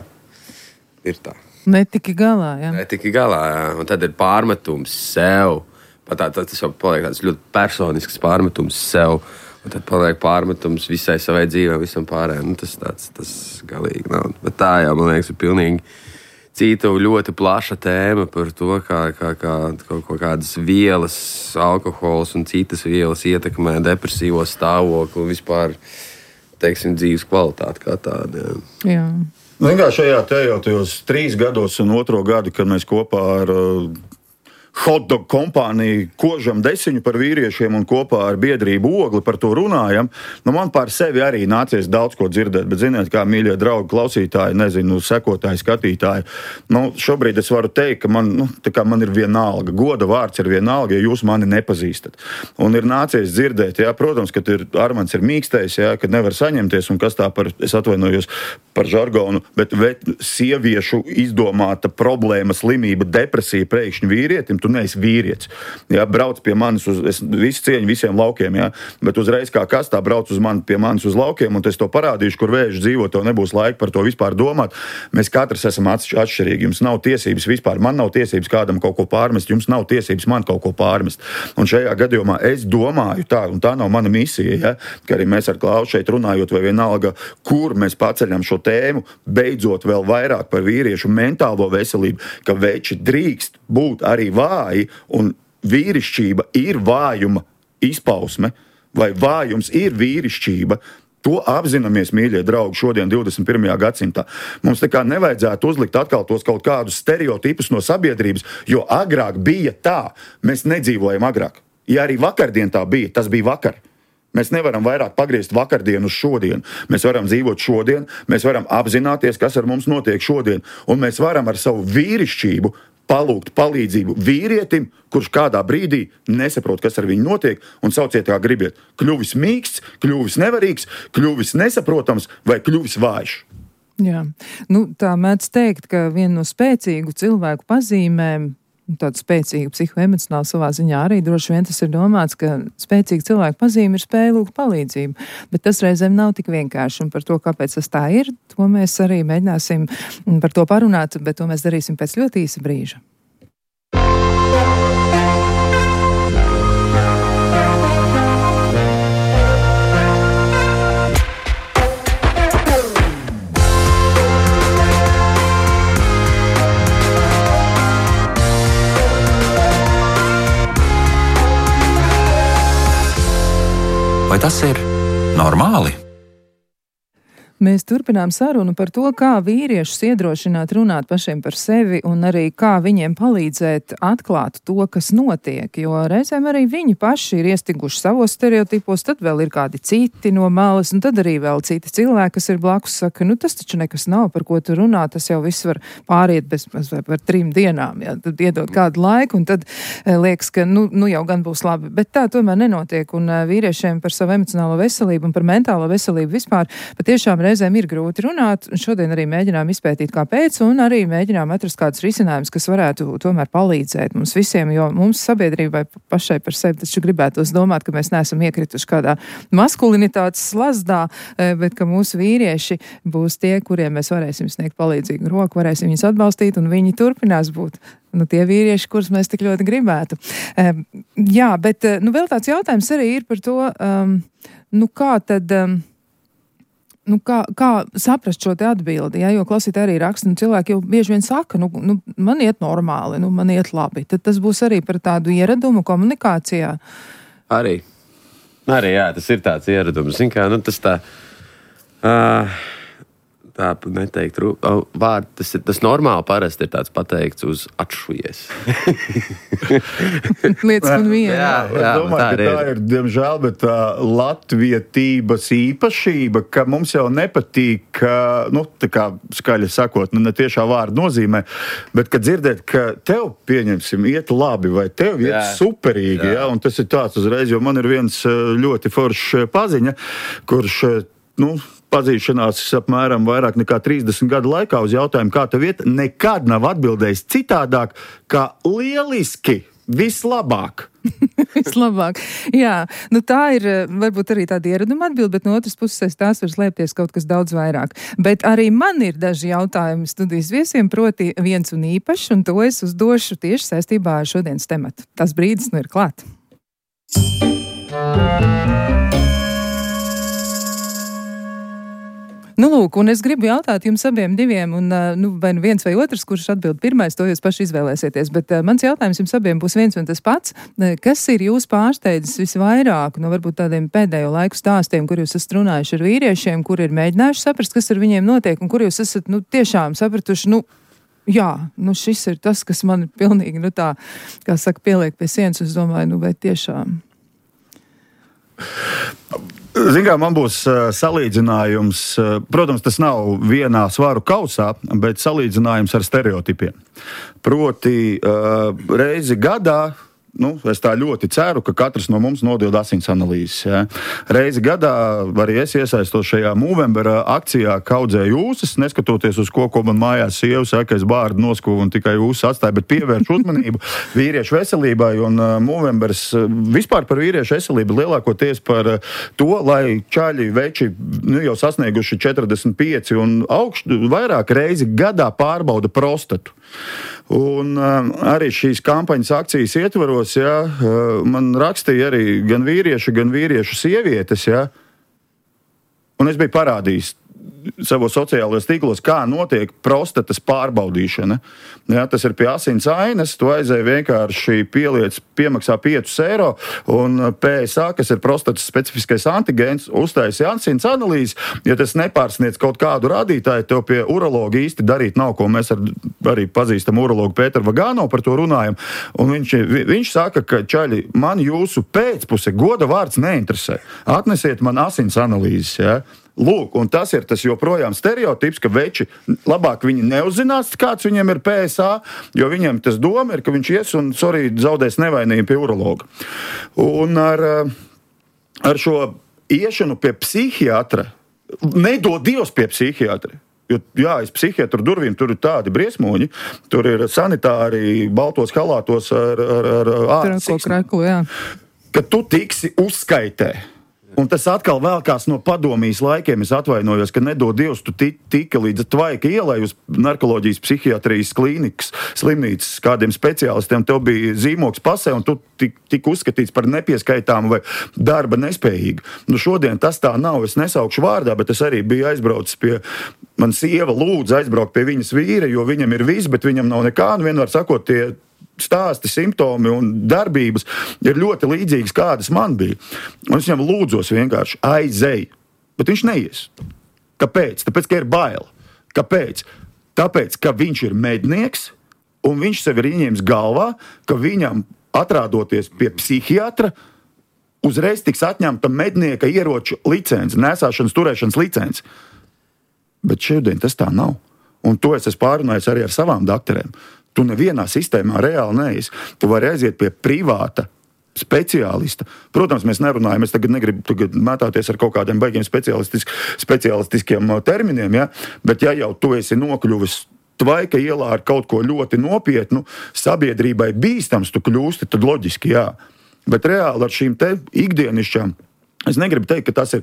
ir tā.
Netiki galā, jā.
Netiki galā, jā. Un tad ir pārmetums sev. Tas jau paliek tāds ļoti personisks pārmetums sev. Un tad paliek pārmetums visai savai dzīvē, visam pārējiem. Tas galīgi nav. Bet tā jau, man liekas, ir pilnīgi cita ļoti plaša tēma par to, kā kaut kādas vienas, alkohols un citas vielas ietekmē depresīvo stāvokli un vispār, teiksim, dzīves kvalitāti kā tādu.
Jā.
Vienkārši šajā tajos 3 gados un 2. gadu, kad mēs kopā ar hotdog kompāniju kožam desiņu par vīriešiem un kopā ar biedrību Ogli par to runājam, man par sevi arī nācies daudz ko dzirdēt, bet ziniet, kā mīļie draugi, klausītāji, nezinu, sekotāji, skatītāji, šobrīd es varu teikt, ka man ir vienalga, goda vārds ir vienalga, ja jūs mani nepazīstat. Un ir nācies dzirdēt, protams, ka Armands ir mīkstais, ka nevar saņemties, un kas tā es atvainojos par žargonu, bet sieviešu izdomāta problēma, slimība, depresija pēkšņi vīrietim, tu neesi vīrietis. Brauc pie manis es visu cieņu visiem laukiem, bet uzreiz kā kas tā brauc pie manis uz laukiem, un es to parādīšu, kur vēži dzīvo, tev nebūs laika par to vispār domāt. Mēs katrs esam atšķirīgi. Jums nav tiesības vispār, man nav tiesības kādam kaut ko pārmest, jums nav tiesības man kaut ko pārmest. Un šajā gadījumā es domāju tā, un tā nav mana misija, ka arī mēs ar Klausu šeit runājot, vai vienalga, kur mēs paceļam šo tēmu, beidzot vēl vairāk par vīriešu mentālo veselību, ka veči drīkst būt arī vāji, un vīrišķība ir vājuma izpausme, vai vājums ir vīrišķība. To apzināmies, mīļie draugi, šodien 21. gadsimtā. Mums nekā nevajadzētu uzlikt atkal tos kaut kādus stereotipus no sabiedrības, jo agrāk bija tā. Mēs nedzīvojam agrāk. Ja arī vakardien tā bija, tas bija vakar. Mēs nevaram vairāk pagriezt vakardienu uz šodienu. Mēs varam dzīvot šodien, mēs varam apzināties, kas ar mums notiek šodien, un mēs varam ar savu vīrišķību palūgt palīdzību vīrietim, kurš kādā brīdī nesaprot, kas ar viņu notiek, un sauciet kā gribiet. Kļuvis mīksts, kļuvis nevarīgs, kļuvis nesaprotams vai kļuvis vājš.
Jā, tā mēdz teikt, ka viena no spēcīgu cilvēku pazīmēm, tāda spēcīga psihoemocionāla savā ziņā arī droši vien tas ir domāts, ka spēcīga cilvēka pazīme ir spēja lūgt palīdzību, bet tas reizēm nav tik vienkārši, un par to, kāpēc tas tā ir, to mēs arī mēģināsim par to parunāt, bet to mēs darīsim pēc ļoti īsa brīža.
Vai tas ir normāli?
Mēs turpinām sarunu par to, kā vīriešus iedrošināt runāt pašiem par sevi un arī kā viņiem palīdzēt atklāt to, kas notiek, jo reizēm arī viņi paši ir iestiguši savos stereotipos, tad vēl ir kādi citi no malas, un tad arī vēl citi cilvēki, kas ir blakus, saka, tas taču nekas nav, par ko tu runā, tas jau viss var pāriet bez par 3 dienām, tad iedot kādu laiku, un tad liekas, ka jau gan būs labi, bet tā tomēr nenotiek, un vīriešiem par savu emocionālo veselību un par mentālo veselību vispār patiešām reizēm ir grūti runāt, un šodien arī mēģinām izpētīt, kāpēc, un arī mēģinām atrast kādus risinājumus, kas varētu tomēr palīdzēt mums visiem, jo mums sabiedrībai pašai par sevi taču gribētos domāt, ka mēs neesam iekrituši kādā maskulinitātes slazdā, bet ka mūsu vīrieši būs tie, kuriem mēs varēsim sniegt palīdzīgu roku, varēsim viņus atbalstīt, un viņi turpinās būt tie vīrieši, kurus mēs tik ļoti gribētu. Jā, bet vēl tāds jautājums arī ir par to, kā tad... kā saprast šo te atbildi, jo klausītāji arī raksta, cilvēki jau bieži vien saka, man iet normāli, man iet labi. Tad tas būs arī par tādu ieradumu komunikācijā.
Arī jā, tas ir tāds ieradums. Zin kā, tas tā neteikt vārdu, tas normāli parasti ir tāds pateikts uz atšujies.
Lietas man viena.
Jā, es domāju, ka tā ir, diemžēl, bet tā latvietības īpašība, ka mums jau nepatīk, tā kā skaļi sakot, ne tiešā vārda nozīmē, bet kad dzirdēt, ka tev, pieņemsim, iet labi vai tev iet superīgi, un tas ir tāds uzreiz, jo man ir viens ļoti foršs paziņa, kurš, pazīšanās apmēram vairāk nekā 30 gadu laikā uz jautājumu, kā tev iet, nekad nav atbildējis citādāk, kā lieliski, vislabāk.
Vislabāk. Jā, tā ir varbūt arī tāda ieraduma atbilde, bet no otras puses tās var slēpties kaut kas daudz vairāk. Bet arī man ir daži jautājumi studijas viesiem, proti viens un īpašs, un to es uzdošu tieši saistībā ar šodienas tematu. Tas brīdis ir klāt. Nu, lūk, un es gribu jautāt jums abiem diviem, un vai nu viens vai otrs, kurš atbild pirmais, to jūs paši izvēlēsieties, bet mans jautājums jums abiem būs viens un tas pats. Kas ir jūs pārsteidzis visvairāk no varbūt tādiem pēdējo laiku stāstiem, kur jūs esat runājuši ar vīriešiem, kur ir mēģinājuši saprast, kas ar viņiem notiek, un kur jūs esat, tiešām sapratuši, jā, šis ir tas, kas man pilnīgi, tā, kā saka, pieliek pie sienas, es domāju, vai tiešām.
Zin kā, man būs salīdzinājums, protams, tas nav vienā svaru kausā, bet salīdzinājums ar stereotipiem. Proti, reizi gadā, es tā ļoti ceru, ka katrs no mums nodod asins analīzes. Ja. Reizi gadā arī es iesaistos šajā Movembera akcijā, kaudzēju ūsas, neskatoties uz ko man mājās sieva saka, es bārdu noskuvu un tikai ūsas atstāju, bet pievērš uzmanību vīriešu veselībai, un Movembers vispār par vīriešu veselību lielākoties par to, lai čaļi, veči jau sasnieguši 45 un augstu vairāk reizi gadā pārbauda prostatu. Un arī šīs kampaņas akcijas ietvaros, man rakstīja arī gan vīriešu sievietes, un es biju parādījis savos sociālajos tīklos, kā notiek prostatas pārbaudīšana. Ja, tas ir pie asins ainas, tu aizēji vienkārši piemaksā 5 eiro, un PSA, kas ir prostatas specifiskais antigēns, uztaisi asins analīzes. Ja tas nepārsniedz kaut kādu rādītāju, tev pie urologa īsti darīt nav, ko mēs arī pazīstam urologu Pēteru Vagāno par to runājam. Un viņš saka, ka čaļi, man jūsu pēcpuse goda vārds neinteresē. Atnesiet man asins analīzes, ja. Lūk, un tas ir tas joprojām stereotips, ka veči labāk viņi neuzzinās, kāds viņiem ir PSA, jo viņiem tas doma ir, ka viņš ies un, zaudēs nevainību pie urologa. Un ar šo iešanu pie psihiatra, nedod Dievs pie psihiatra. Jo, aiz psihiatru durvīm tur ir tādi briesmoņi, tur ir sanitāri baltos halātos ar
kreklu, jā.
Ka tu tiksi uzskaitē. Un tas atkal vēlkās no padomijas laikiem. Es atvainojos, ka nedod Dievs, tu tika līdz Tvaika ielai uz narkoloģijas psihiatrijas klīnikas slimnīcas kādiem speciālistiem. Tev bija zīmoks pasē, un tu tika uzskatīts par nepieskaitāmu vai darba nespējīgu. Šodien tas tā nav. Es nesaukšu vārdā, bet es arī biju aizbraucis pie... Man sieva lūdza aizbraukt pie viņas vīra, jo viņam ir viss, bet viņam nav nekā. Un vienmēr sakot, tie stāsti, simptomi un darbības ir ļoti līdzīgas, kādas man bija. Un es viņam lūdzos vienkārši aizēju, bet viņš neies. Kāpēc? Tāpēc, ka ir bail. Kāpēc? Tāpēc, ka viņš ir mednieks un viņš sev ir ieņēmis galvā, ka viņam atrādoties pie psihiatra uzreiz tiks atņemta mednieka ieroču licence, nesāšanas turēšanas licence. Bet šodien tas tā nav. Un to es esmu pārunājis arī ar savām dakterēm. Tu nevienā sistēmā reāli neesi. Tu vari aiziet pie privāta speciālista. Protams, mēs nerunājam, es tagad negribu mētāties ar kaut kādiem baigiem speciālistiskiem terminiem, ja? Bet ja jau tu esi nokļuvis Tvaika ielā ar kaut ko ļoti nopietnu, sabiedrībai bīstams tu kļūsti, tad loģiski, jā. Bet reāli ar šīm te ikdienišķām, es negribu teikt, ka tas ir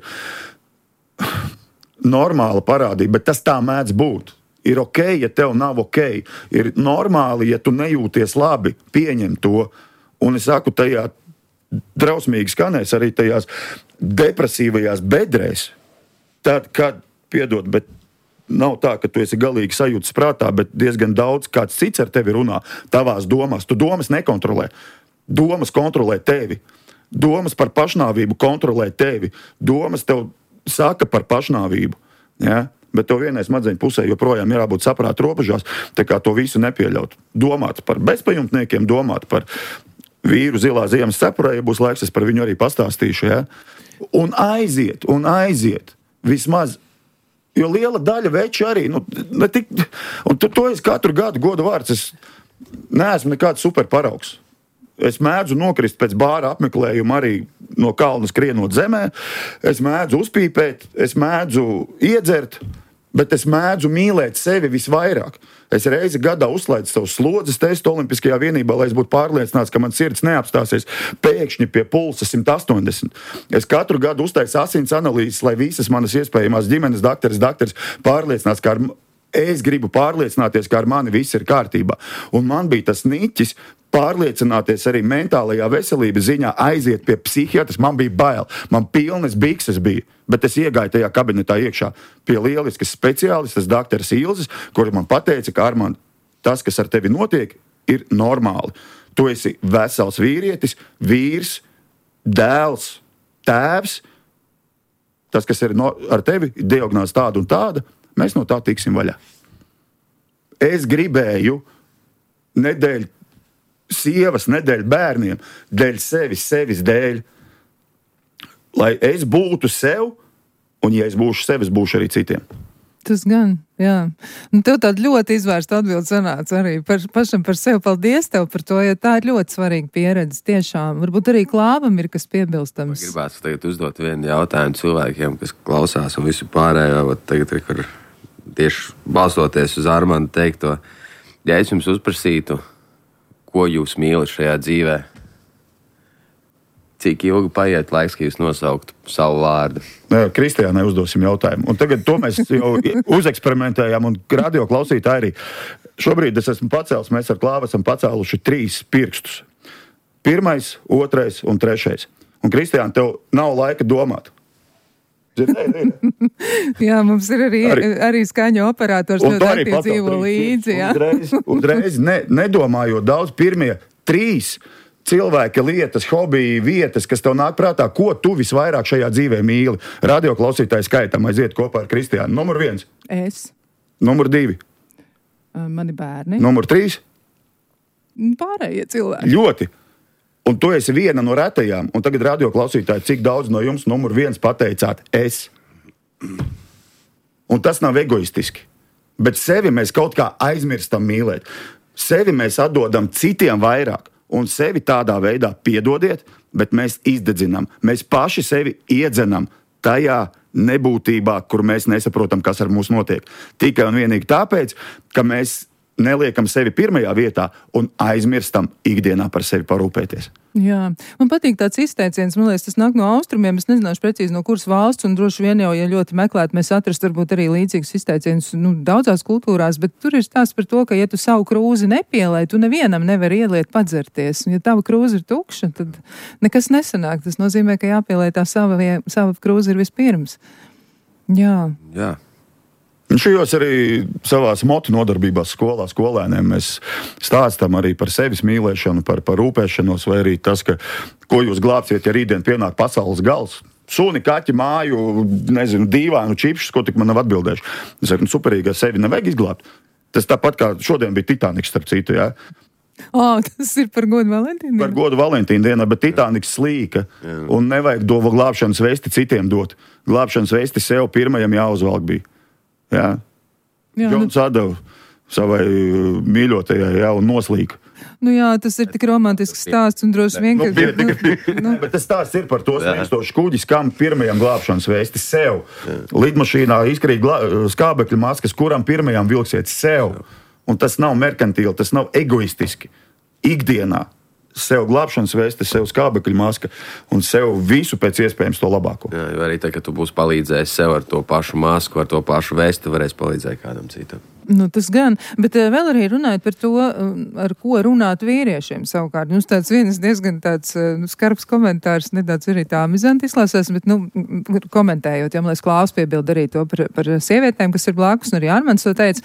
normāla parādība, bet tas tā mēdz būt. Ir ok, ja tev nav ok. Ir normāli, ja tu nejūties labi, pieņem to. Un es saku, tajā drausmīgi skanēs arī tajās depresīvajās bedrēs. Tad, kad, piedod, bet nav tā, ka tu esi galīgi sajūtas prātā, bet diezgan daudz kāds cits ar tevi runā tavās domās. Tu domas nekontrolē. Domas kontrolē tevi. Domas par pašnāvību kontrolē tevi. Domas tev saka par pašnāvību. Ja? Bet tev vienai smadzeņu pusē joprojām jābūt saprāta robežās, tā kā to visu nepieļaut. Domāt par bezpajumtniekiem, domāt par vīru zilā ziemas cepurē, ja būs laiks, es par viņu arī pastāstīšu. Ja? Un aiziet. Vismaz, jo liela daļa veči arī, un to es katru gadu godu vārds, es neesmu nekāds superparaugs. Es mēdzu nokrist pēc bāra apmeklējuma arī no kalna skrienot zemē, es mēdzu uzpīpēt, es mēdzu iedzert, bet es mēdzu mīlēt sevi visvairāk. Es reizi gadā uzslēdzu savu slodzes testu Olimpiskajā vienībā, lai es būtu pārliecināts, ka man sirds neapstāsies pēkšņi pie pulsa 180. Es katru gadu uztaisu asins analīzes, lai visas manas iespējamās ģimenes dakteris pārliecināts, ka es gribu pārliecināties, ka ar mani viss ir kārtībā. Un man bija tas niķis pārliecināties arī mentālajā veselības ziņā, aiziet pie psihiatras. Man bija bail, man pilnas bikses bija, bet es iegāju tajā kabinetā iekšā pie lieliskas speciālistas, dakteras Ilzes, kuri man pateica, ka Armand, tas, kas ar tevi notiek, ir normāli. Tu esi vesels vīrietis, vīrs, dēls, tēvs. Tas, kas ir ar tevi, diagnāze tāda un tāda, mēs no tā tiksim vaļā. Es gribēju nedēļ sievas, nedēļ bērniem, dēļ sevis dēļ, lai es būtu sev, un ja es būšu sev, es būšu arī citiem.
Tas gan, jā. Un tev tāda ļoti izvērsta atbilde sanāca arī pašam par sevi. Paldies tev par to, jo tā ir ļoti svarīga pieredze tiešām. Varbūt arī Klāvam ir kas piebilstams.
Gribētu tagad uzdot vienu jautājumu cilvēkiem, kas klausās un visu pārējo. Tagad ir tieši balstoties uz Armanda teikto. Ja es jums uzprasītu, ko jūs mīlat šajā dzīvē, cik ilgi paiet laiks, ka jūs nosauktu savu vārdu?
Kristiānai uzdosim jautājumu. Un tagad to mēs jau uzeksperimentējām, un radio klausītāji arī. Šobrīd es esmu pacēlis, mēs ar Klāvu esam pacēluši 3 pirkstus. 1, 2 un 3. Un Kristiāna, tev nav laika domāt.
Jā, mums ir arī skaņu operators, ļoti aktīvi dzīvo līdzi.
Uzreiz nedomājot daudz, pirmie 3 cilvēka lietas, hobiji, vietas, kas tev nāk prātā, ko tu visvairāk šajā dzīvē mīli. Radio klausītāji skaitam aiziet kopā ar Kristiānu. Numur 1.
Es.
Numur 2.
Mani bērni.
Numur 3.
Pārējie cilvēki.
Ļoti. Un tu esi viena no retajām. Un tagad radio klausītāji, cik daudz no jums numur 1 pateicāt es. Un tas nav egoistiski. Bet sevi mēs kaut kā aizmirstam mīlēt. Sevi mēs atdodam citiem vairāk. Un sevi tādā veidā piedodiet, bet mēs izdedzinām. Mēs paši sevi iedzenam tajā nebūtībā, kur mēs nesaprotam, kas ar mums notiek. Tikai un vienīgi tāpēc, ka mēs neliekam sevi pirmajā vietā un aizmirstam ikdienā par sevi parūpēties.
Jā, man patīk tāds izteiciens, man liekas, tas nāk no austrumiem, es nezināšu precīzi no kuras valsts, un droši vien jau, ja ļoti meklēt, mēs atrast varbūt arī līdzīgus izteicienus, daudzās kultūrās, bet tur ir stāsts par to, ka, ja tu savu krūzi nepielēji, tu nevienam nevari ieliet padzerties, un ja tava krūze ir tukša, tad nekas nesanāk, tas nozīmē, ka jāpielēj tā sava krūze ir vispirms. Jā.
Jā.
Un šajos arī savās motu nodarbībās skolēniem mēs stāstam arī par sevis mīlēšanu, par rūpēšanos, vai arī tas, ka, ko jūs glābsiet, ja rītdien pienāk pasaules gals. Suni, kaķi, māju, nezinu, dīvainu, čipšus, ko tik man nav atbildējuši. Es saku, superīgi, sevi nevajag izglābt. Tas tāpat kā šodien bija Titaniks, starp citu, jā.
Tas ir par godu Valentīnu.
Par godu Valentīnu dienā, bet Titaniks slīka. Jā. Un nevajag dovu glābšanas vesti citiem dot. Glābšanas vesti sev pirmajam jāuzvalk bija. Jā. Džons atdeva savai mīļotajai, jā, un noslīka.
Nu jā, tas ir tik romantisks stāsts un droši vien, ka...
Bet tas stāsts ir par to smiekstošu kuģis, kam pirmajam glābšanas vēsti sev. Lidmašīnā izkrīt skābekļa maskas, kuram pirmajam vilksiet sev. Un tas nav merkantīli, tas nav egoistiski. Ikdienā sev glābšanas vēsti, sev skābekļa maska un sev visu pēc iespējams to labāko.
Jā, jo arī tā, ka tu būsi palīdzējis sev ar to pašu masku, ar to pašu vēsti, varēs palīdzēt kādam citam.
Nu, tas gan, bet vēl arī runājot par to, ar ko runāt vīriešiem savukārt. Mums tāds viens diezgan tāds skarbs komentārs, nedaudz arī tā amizanti izklausās, bet, komentējot, ja man liekas, Klāvs piebilda arī to par sievietēm, kas ir blakus, un arī Armands to teica,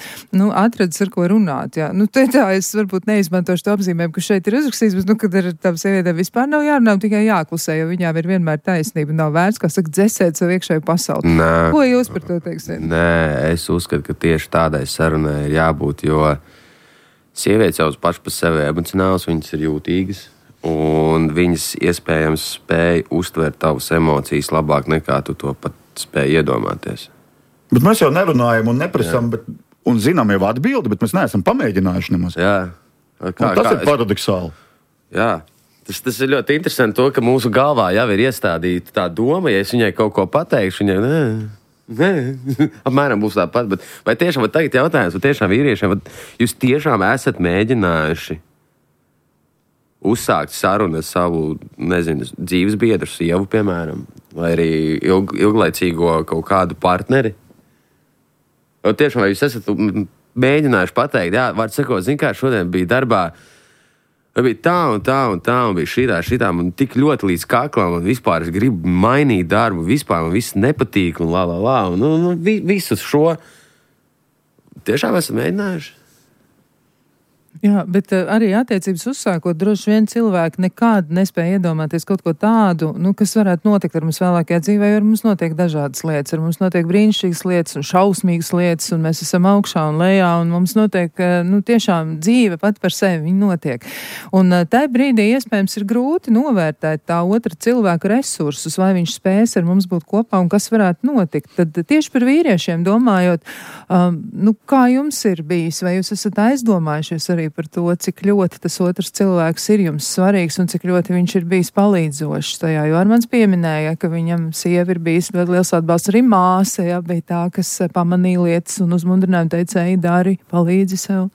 atradis ar ko runāt, jā. Te tā es varbūt neizmantošu to apzīmējumu, ka šeit ir uzrakstījis, bet, kad ar tām sievietēm vispār nav jārunā, tikai jāklusē, jo viņām ir vienmēr taisnība, nav vērts, kā saka, dzesēt savu iekšēju pasauli.
Nē.
Ko jūs par to teiksiet?
Nē, es uzskatu, ka tieši tādai sarunai ir jābūt, jo sievietes jau pašas par sevi emocionāls, viņas ir jūtīgas, un viņas iespējams spēj uztvert tavas emocijas labāk nekā tu to pat spēj iedomāties. Bet
mēs jau nerunājam un neprasam, un zinām jau atbildi, bet mēs neesam pamēģinājuši nemaz.
Jā.
Tas ir paradoxāli.
Jā. Tas ir ļoti interesanti to, ka mūsu galvā jau ir iestādīta tā doma, ja es viņai kaut ko pateikšu, viņai apmēram būs tāpat. Bet vai tiešām tagad jautājums, vai tiešām vīriešiem, vai jūs tiešām esat mēģinājuši uzsākt sarunu ar savu, dzīves biedru, sievu, piemēram, vai arī ilglaicīgo kaut kādu partneri? Vai tiešām, vai jūs esat mēģinājuši pateikt, jā, vārds sakot, zin kā, šodien bija darbā, Bija tā un tā un tā, un bija šitā, man tik ļoti līdz kaklam, un vispār es gribu mainīt darbu, vispār man viss nepatīk, un un visus šo tiešām esam mēģinājuši.
Jā, bet arī attiecības uzsākot, droši vien cilvēki nekad nespēja iedomāties kaut ko tādu, kas varētu notikt ar mums vēlākajā dzīvē, jo ar mums notiek dažādas lietas, ar mums notiek brīnišķīgas lietas un šausmīgas lietas, un mēs esam augšā un lejā, un mums notiek, tiešām dzīve pat par sevi, viņa notiek. Un tajā brīdī iespējams ir grūti novērtēt tā otra cilvēka resursus, vai viņš spēs ar mums būt kopā un kas varētu notikt. Tad tieši par vīriešiem domājot, kā jums ir bijis, vai jūs esat aizdomājušies arī par to, cik ļoti tas otrs cilvēks ir jums svarīgs un cik ļoti viņš ir bijis palīdzošs tajā, jo Armands pieminēja, ka viņam sieva ir bijis ļoti liels atbalsts, arī māsa, bija tā, kas pamanīja lietas un uzmundrināja, teica, ej, dari, palīdzi sev.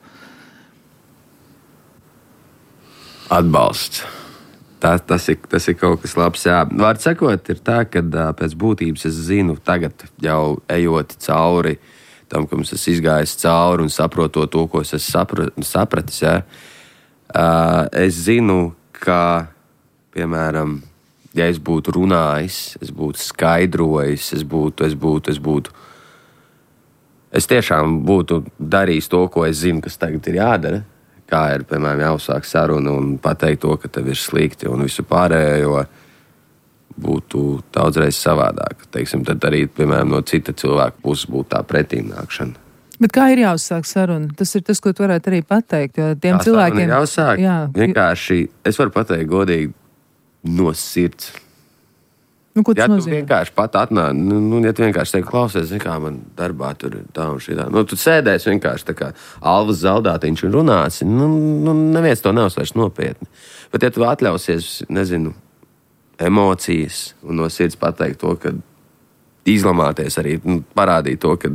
Atbalsts. Tas ir kaut kas labs, jā. Vārds sakot, ir tā, ka pēc būtības es zinu tagad jau ejot cauri tam, ka mums esmu izgājis cauri un saprotot to, ko es esmu sapratis. Ja? Es zinu, ka, piemēram, ja es būtu runājis, es būtu skaidrojis, es tiešām būtu darījis to, ko es zinu, kas tagad ir jādara. Kā ir, piemēram, jāuzsāk sarunu un pateikt to, ka tev ir slikti un visu pārējo, būtu daudzreiz savādāk. Teiksim, tad arī, piemēram, no cita cilvēka puses būtu tā pretīmnākšana.
Bet kā ir jāuzsāk saruna? Tas ir tas, ko tu varētu arī pateikt, jo tiem cilvēkiem...
Ir jāuzsāk. Jā. Vienkārši, es varu pateikt godīgi no sirds.
Ko tas nozīmē?
Tu vienkārši pat atnāk, ja tu vienkārši teiksi, klausies, kā man darbā tur ir tā un šitā. Tu sēdēsi vienkārši tā kā Alvas Zaldātiņš un runāsi, neviens to neuzsvērš nopietni. Bet ja tu atļausies, nezinu, emocijas un no sirds pateikt to, ka izlamāties arī, parādīt to, ka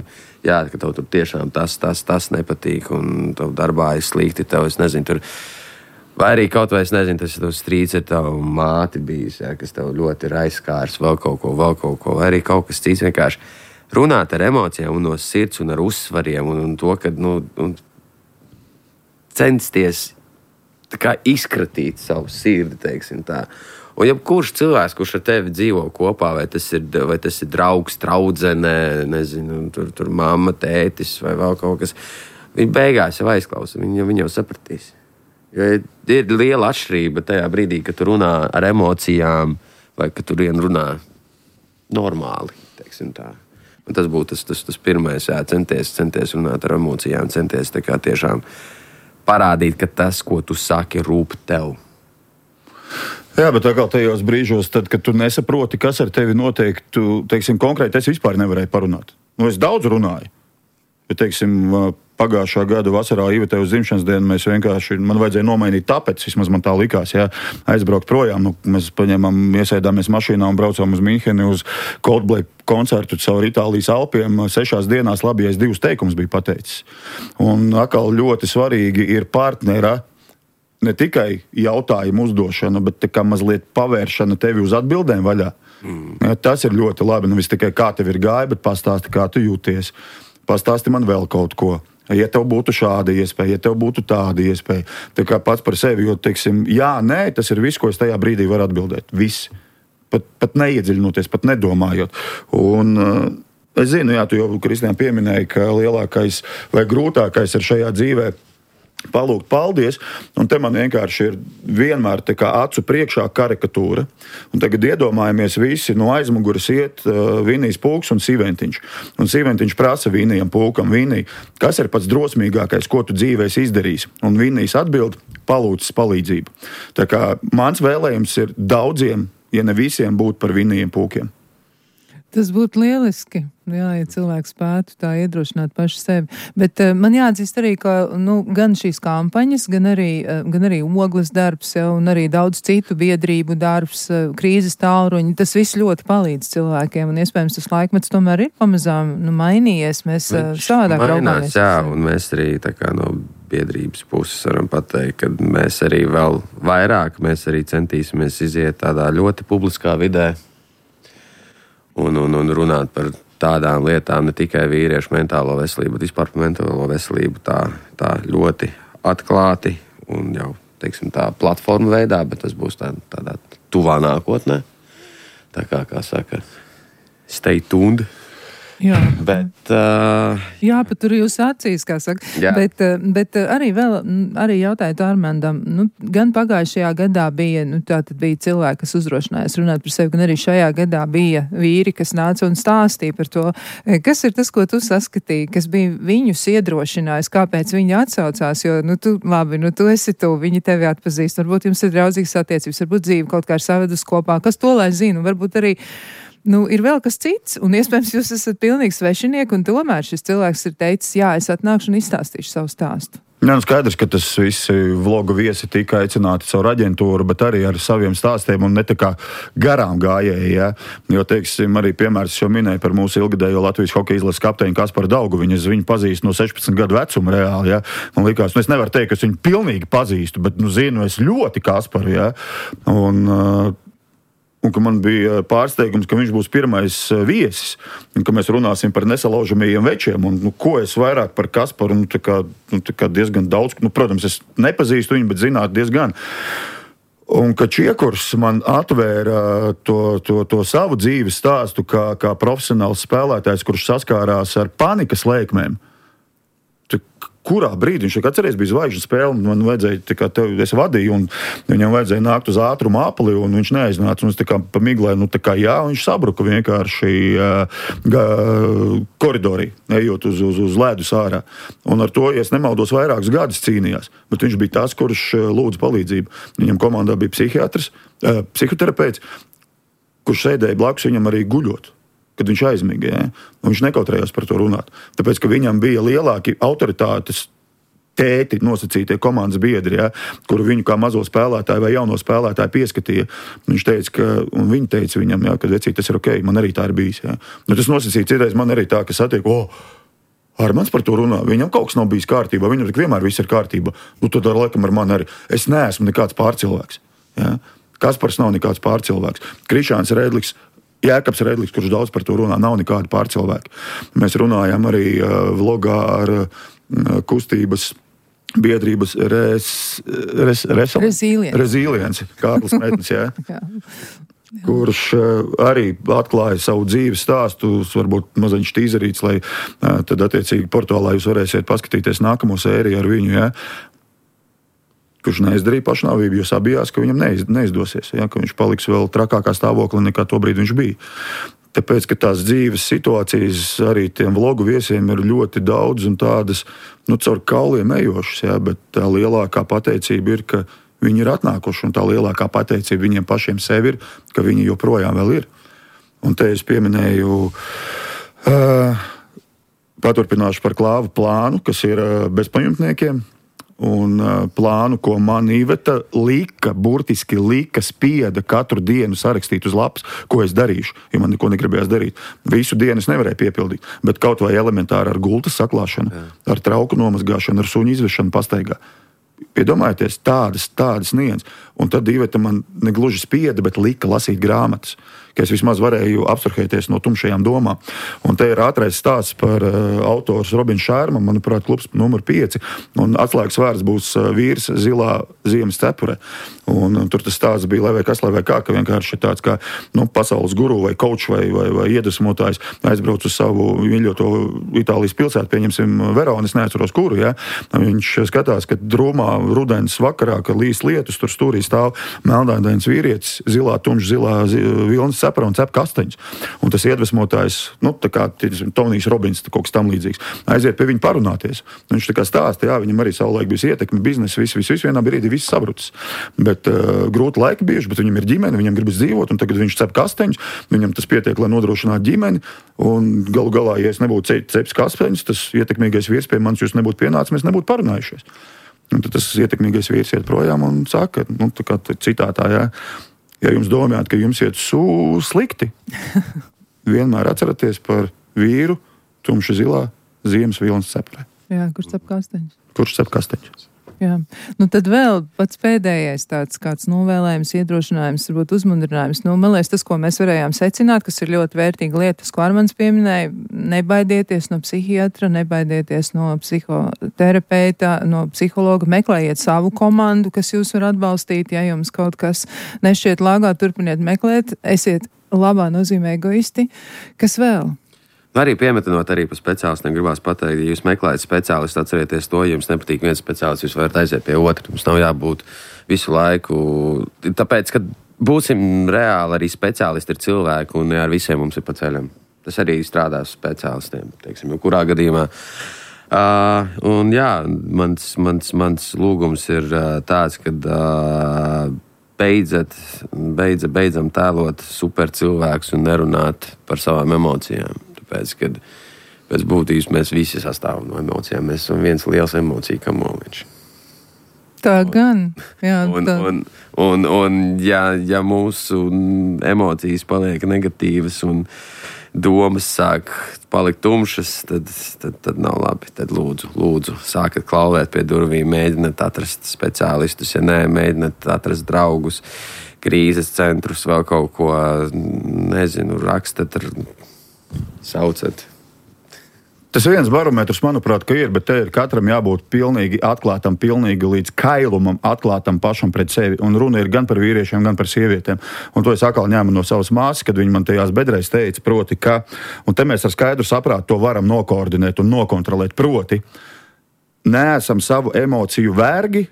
tev tur tiešām tas nepatīk un tev darbā ir slikti, tev, es nezinu, tur, vai arī kaut vai, es nezinu, tas ir tev strīds ar tavu māti bijis, kas tev ļoti ir aizskārs, vēl kaut ko, vai arī kaut kas cits, vienkārši runāt ar emocijām un no sirds un ar uzsvariem un to, ka, un censties tā kā izkratīt savu sirdi, teiksim tā. Un jebkurš cilvēks, kurš ar tevi dzīvo kopā, vai tas ir draugs, draudzene, nezinu, tur mamma, tētis vai vēl kaut kas, viņi beigās jau aizklausa, viņi jau sapratīs. Jo ir liela atšķirība tajā brīdī, kad tu runā ar emocijām vai kad tu runā normāli, teiksim tā. Un tas būtu tas pirmais, centies runāt ar emocijām, centies tā kā tiešām parādīt, ka tas, ko tu saki, rūp tev.
Jā, bet atkal tajos brīžos, tad, kad tu nesaproti, kas ar tevi notiek, tu, teiksim, konkrēti es vispār nevarēju parunāt. Es daudz runāju, bet, teiksim, pagājušā gada vasarā Ivetē uz dzimšanas dienu mēs vienkārši, man vajadzēja nomainīt tāpēc, vismaz man tā likās, aizbraukt projām. Mēs iesēdāmies mašīnā un braucām uz Minheni uz Coldplay koncertu caur Itālijas Alpiem. 6 dienās labi, ja es 2 teikumus biju pateicis. Un atkal ļoti svarīgi ir partnera ne tikai jautājumu uzdošana, bet tā kā mazliet pavēršana tevi uz atbildēm vaļā. Ja, tas ir ļoti labi. Nevis tikai kā tev ir gāja, bet pastāsti, kā tu jūties. Pastāsti man vēl kaut ko. Ja tev būtu šāda iespēja, ja tev būtu tāda iespēja. Tā kā pats par sevi, jo, teiksim, jā, nē, tas ir viss, ko es tajā brīdī varu atbildēt. Viss. Pat neiedziļinoties, pat nedomājot. Un es zinu, jā, tu jau, Kristiāna, pieminēji, ka lielākais vai grūtākais ir šajā dzīvē palūgt paldies, un te man vienkārši ir vienmēr tā kā acu priekšā karikatūra. Un tagad iedomājamies visi no aizmuguras iet Vinijs Pulks un Sīventiņš. Un Sīventiņš prasa Vinijam Pulkam, Vinij, kas ir pats drosmīgākais, ko tu dzīvēs izdarīs? Un Vinijs atbild, palūdzis palīdzību. Tā kā mans vēlējums ir daudziem, ja ne visiem, būt par Vinijiem Pulkiem.
Tas būtu lieliski, ja cilvēks spētu tā iedrošināt paši sevi. Bet man jāatzīst arī, ka gan šīs kampaņas, gan arī Ogles darbs, un arī daudz citu biedrību darbs, krīzes tālruņi, tas viss ļoti palīdz cilvēkiem, un iespējams tas laikmets tomēr ir pamazām mainījies. Mēs savādāk raugāmies.
Jā, un mēs arī tā kā no biedrības puses varam pateikt, ka mēs arī vēl vairāk, mēs arī centīsimies iziet tādā ļoti publiskā vidē, un runāt par tādām lietām, ne tikai vīriešu mentālo veselību, bet vispār par mentālo veselību tā ļoti atklāti un jau teiksim, tā platforma veidā, bet tas būs tādā tuvā nākotnē. Tā kā saka, stay tuned.
Jā.
Bet,
jāpatur jūs acīs, kā saka.
Jā.
Bet arī jautāju Armandam, gan pagājušajā gadā bija, tātad bija cilvēki, kas uzdrošinājās runāt par sevi, gan arī šajā gadā bija vīri, kas nāca un stāstīja par to. Kas ir tas, ko tu saskatīji, kas bija viņus iedrošinājis, kāpēc viņi atsaucās, jo, tu esi tu, viņi tevi atpazīst, varbūt jums ir draudzīgas attiecības, varbūt dzīve kaut kā ir savedus kopā, kas to lai zina, varbūt arī ir vēl kas cits, un iespējams jūs esat pilnīgi svešinieki, un tomēr šis cilvēks ir teicis, jā, es atnākšu un izstāstīšu savu stāstu.
Jā, skaidrs, ka tas visi vlogu viesi tika aicināti caur aģentūru, bet arī ar saviem stāstiem un ne tā kā garām gājēji, ja? Jo, teiksim, arī piemērs jau minēja par mūsu ilgadējo Latvijas hokeja izlases kapteini Kasparu Daugu. Viņu pazīstu no 16 gadu vecuma reāli, ja? Man likās, es nevaru teikt, ka es viņu pilnīgi pazīstu, bet, zinu es ļoti Kasparu, ja? Un ka man bija pārsteigums, ka viņš būs pirmais viesis, un ka mēs runāsim par nesalaužamajiem večiem, un ko es vairāk par Kasparu, tā kā diezgan daudz, protams, es nepazīstu viņu, bet zināt diezgan. Un ka Čiekurs man atvēra to savu dzīves stāstu kā profesionāls spēlētājs, kurš saskārās ar panikas lēkmēm. Kurā brīdī viņš atceries, bija zvaigžņu spēle, man vajadzēja, es vadīju, un viņam vajadzēja nākt uz ātrumu apli, un viņš neaiznāca, un es pamiglēju, jā, un viņš sabruka vienkārši koridorī, ejot uz ledus ārā. Un ar to, ja es nemaldos, vairākus gadus cīnījās, bet viņš bija tas, kurš lūdza palīdzību. Viņam komandā bija psihiatrs, psihoterapeits, kurš sēdēja blakus viņam arī guļot. Kad viņš aizmiga, ja? Un viņš nekautrējās par to runāt. Tāpēc, ka viņam bija lielāki autoritātes tēti, nosacītie komandas biedri, ja? Kuru viņu kā mazo spēlētāju vai jauno spēlētāju pieskatīja. Viņš teica, un viņi teica viņam, ja, ka vecīt, tas ir ok, man arī tā ir bijis. Ja? Tas nosacīja citreiz man arī tā, ka satiek, Armands par to runā, viņam kaut kas nav bijis kārtībā, viņam vienmēr viss ir kārtībā. Tad laikam ar mani arī. Es neesmu nekāds pārcilvēks. Ja? Kaspars nav nekāds pārcilvēks. Krišāns Redliks, Jēkabs Redliks, kurš daudz par to runā, nav nekādi pārcilvēki. Mēs runājam arī vlogā ar kustības biedrības Resilience, Kārlis Metnis, jā. Kurš arī atklāja savu dzīves stāstu, varbūt maziņš tīzerīts, lai tad attiecīgi portālā jūs varēsiet paskatīties nākamo sēriju ar viņu, jā. Kurš neizdarīja pašnāvību, jo sabijās, ka viņam neizdosies, ja, ka viņš paliks vēl trakākā stāvoklī nekā to brīdi viņš bija. Tāpēc, ka tās dzīves situācijas arī tiem vlogu viesiem ir ļoti daudz un tādas, caur kauliem ejošas, ja, bet tā lielākā pateicība ir, ka viņi ir atnākuši, un tā lielākā pateicība viņiem pašiem sevi ir, ka viņi joprojām vēl ir. Un te es pieminēju, paturpināšu par Klāvu plānu, kas ir bezpajumtniekiem. Un plānu, ko man Iveta burtiski spieda katru dienu sarakstīt uz lapas, ko es darīšu, jo man neko negribējās darīt. Visu dienu es nevarēju piepildīt, bet kaut vai elementāri ar gultas saklāšanu, ar trauku nomazgāšanu, ar suņu izvešanu pastaigā. Iedomājieties, tādas niens. Un tad Iveta man negluži spieda, bet lika lasīt grāmatas, ka es vismaz varēju abstrahēties no tumšajām domām. Un te ir ātrais stāsts par autors Robins Šērma, manuprāt, klubs numur 5, un atslēgas vārds būs vīrs zilā ziemas cepurē. Un tur tas stāsts bija lai vai kā, ka vienkārši tāds kā pasaules guru vai coach vai iedvesmotājs aizbrauc uz savu mīļoto Itālijas pilsētu, pieņemsim Veronu, es neatceros kuru, ja? Viņš skatās, ka drūmā rudens vakarā, kad līs lietus, tur stūrī stāv melnādains vīrietis, tumšs zilā vilnas cepura un cep kasteņus. Un tas iedvesmotājs, tā kā Tonijs Robins, kaut kas tam līdzīgs, aiziet pie viņa parunāties. Viņš tā kā stāsta, jā, viņam arī savulaik bijis ietekme, biznesa, viss vienā brīdī viss sabrucis. Bet grūti laiki bijuši, bet viņam ir ģimene, viņam gribas dzīvot, un tagad viņš cep kasteņus, viņam tas pietiek, lai nodrošinātu ģimeni, un galu galā, ja es nebūtu ceps kasteņus, tas ietekmīgais vīrs pie manis jūs nebūtu pienācis, mēs nebūtu parunājušies. Un tad tas ietekmīgais vīrs iet projām un saka, tā kā citātā, jā, ja jums domājat, ka jums iet slikti, vienmēr atceraties par vīru tumši zilā ziemas vilnas cepurē.
Jā, kurš cep kasteņus.
Kurš cep kasteņus.
Jā. Nu tad vēl pats pēdējais tāds kāds novēlējums, iedrošinājums, varbūt uzmundrinājums. Nu, man liekas, tas, ko mēs varējām secināt, kas ir ļoti vērtīga lieta, ko Armands pieminēja, nebaidieties no psihiatra, nebaidieties no psihoterapeita, no psihologa, meklējiet savu komandu, kas jūs var atbalstīt, ja jums kaut kas nešķiet lāgā, turpiniet meklēt, esiet labā nozīmē egoisti. Kas vēl?
Arī piemetinot arī par speciālistiem, gribās pateikt, ja jūs meklējat speciālistu, atcerieties to, ja jums nepatīk viens speciālists, jūs varat aiziet pie otra. Mums nav jābūt visu laiku. Tāpēc, kad būsim reāli, arī speciālisti ir cilvēki, un ne ar visiem mums ir pa ceļam. Tas arī strādās speciālistiem, teiksim, kurā gadījumā. Un jā, mans lūgums ir tāds, kad beidzam tēlot super cilvēkus un nerunāt par savām emocijām. Tāpēc, kad pēc būtības mēs visi sastāvam no emocijām. Mēs esam viens liels emociju kamoliņš.
Tā gan. Jā,
un ja mūsu emocijas paliek negatīvas un domas sāk palikt tumšas, tad nav labi. Tad lūdzu, sākat klauvēt pie durvīm, mēģināt atrast speciālistus, ja nē, mēģināt atrast draugus, krīzes centrus, vēl kaut ko, nezinu, rakstat ar saucat.
Tas viens barometrs, manuprāt, ka ir, bet te ir katram jābūt pilnīgi atklātam, pilnīgi līdz kailumam atklātam pašam pret sevi. Un runa ir gan par vīriešiem, gan par sievietēm. Un to es atkal ņēmu no savas māsas, kad viņa man tajās bedrēs teica, proti, ka, un te mēs ar skaidru saprātu to varam nokoordinēt un nokontrolēt, proti, neesam savu emociju vergi,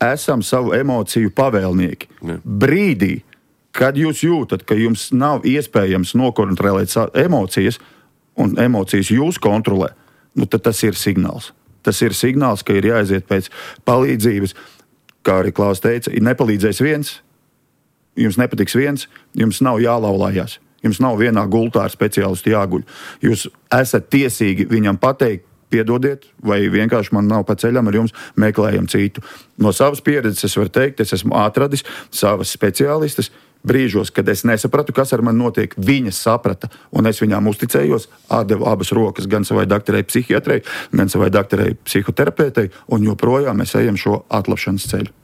esam savu emociju pavēlnieki. Ja. Brīdī, kad jūs jūtat, ka jums nav iespējams nokontrolēt emocijas, un emocijas jūs kontrolē, nu tad tas ir signāls. Tas ir signāls, ka ir jāaiziet pēc palīdzības. Kā arī Klaus teica, ir nepalīdzējis viens, jums nepatiks viens, jums nav jālaulājās. Jums nav vienā gultā ar speciālistu jāguļ. Jūs esat tiesīgi viņam pateikt, piedodiet, vai vienkārši man nav pa ceļam ar jums, meklējam citu. No savas pieredzes es varu teikt, es esmu atradis savas speciālistas, brīžos, kad es nesapratu, kas ar mani notiek, viņas saprata, un es viņām uzticējos, atdevu abas rokas gan savai doktorei psihiatrei, gan savai doktorei psihoterapeitei, un joprojām mēs ejam šo atlapšanas ceļu.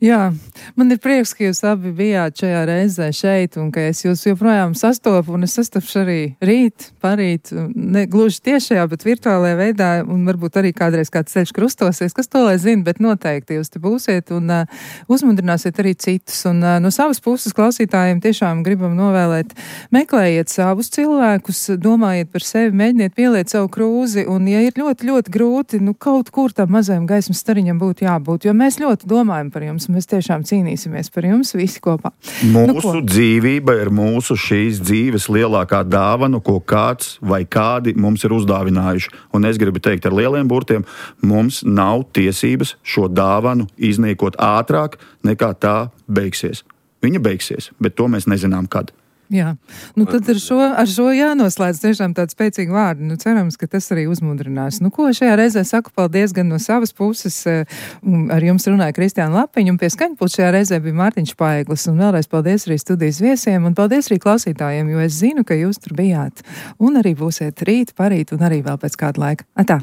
Jā, man ir prieks, ka jūs abi bijāt šajā reizē šeit un ka es jūs joprojām sastopu un es sastapšu arī rīt, parīt, ne gluži tiešajā, bet virtuālajā veidā un varbūt arī kādreiz kāds ceļš krustosies, kas to lai zina, bet noteikti jūs te būsiet un uzmundrināsiet arī citus. Un no savas puses klausītājiem tiešām gribam novēlēt, meklējiet savus cilvēkus, domājiet par sevi, mēģiniet pieliet savu krūzi un ja ir ļoti, ļoti grūti, nu kaut kur tam mazajam gaismas stariņam būtu jābūt, jo mēs ļoti domājam par jums. Mēs tiešām cīnīsimies par jums visi kopā.
Mūsu dzīvība ir mūsu šīs dzīves lielākā dāvana, ko kāds vai kādi mums ir uzdāvinājuši. Un es gribu teikt ar lieliem burtiem, mums nav tiesības šo dāvanu iznīkot ātrāk, nekā tā beigsies. Viņa beigsies, bet to mēs nezinām kad.
Jā, nu tad ar šo jānoslēdz tiešām tādi spēcīgi vārdi. Nu cerams, ka tas arī uzmundrinās. Nu ko, šajā reizē saku paldies gan no savas puses. Ar jums runāja Kristiāna Lapiņa un pie skaņpulta šajā reizē bija Mārtiņš Paeglis. Un vēlreiz paldies arī studijas viesiem un paldies arī klausītājiem, jo es zinu, ka jūs tur bijāt. Un arī būsiet rīt, parīt un arī vēl pēc kāda laika. Atā!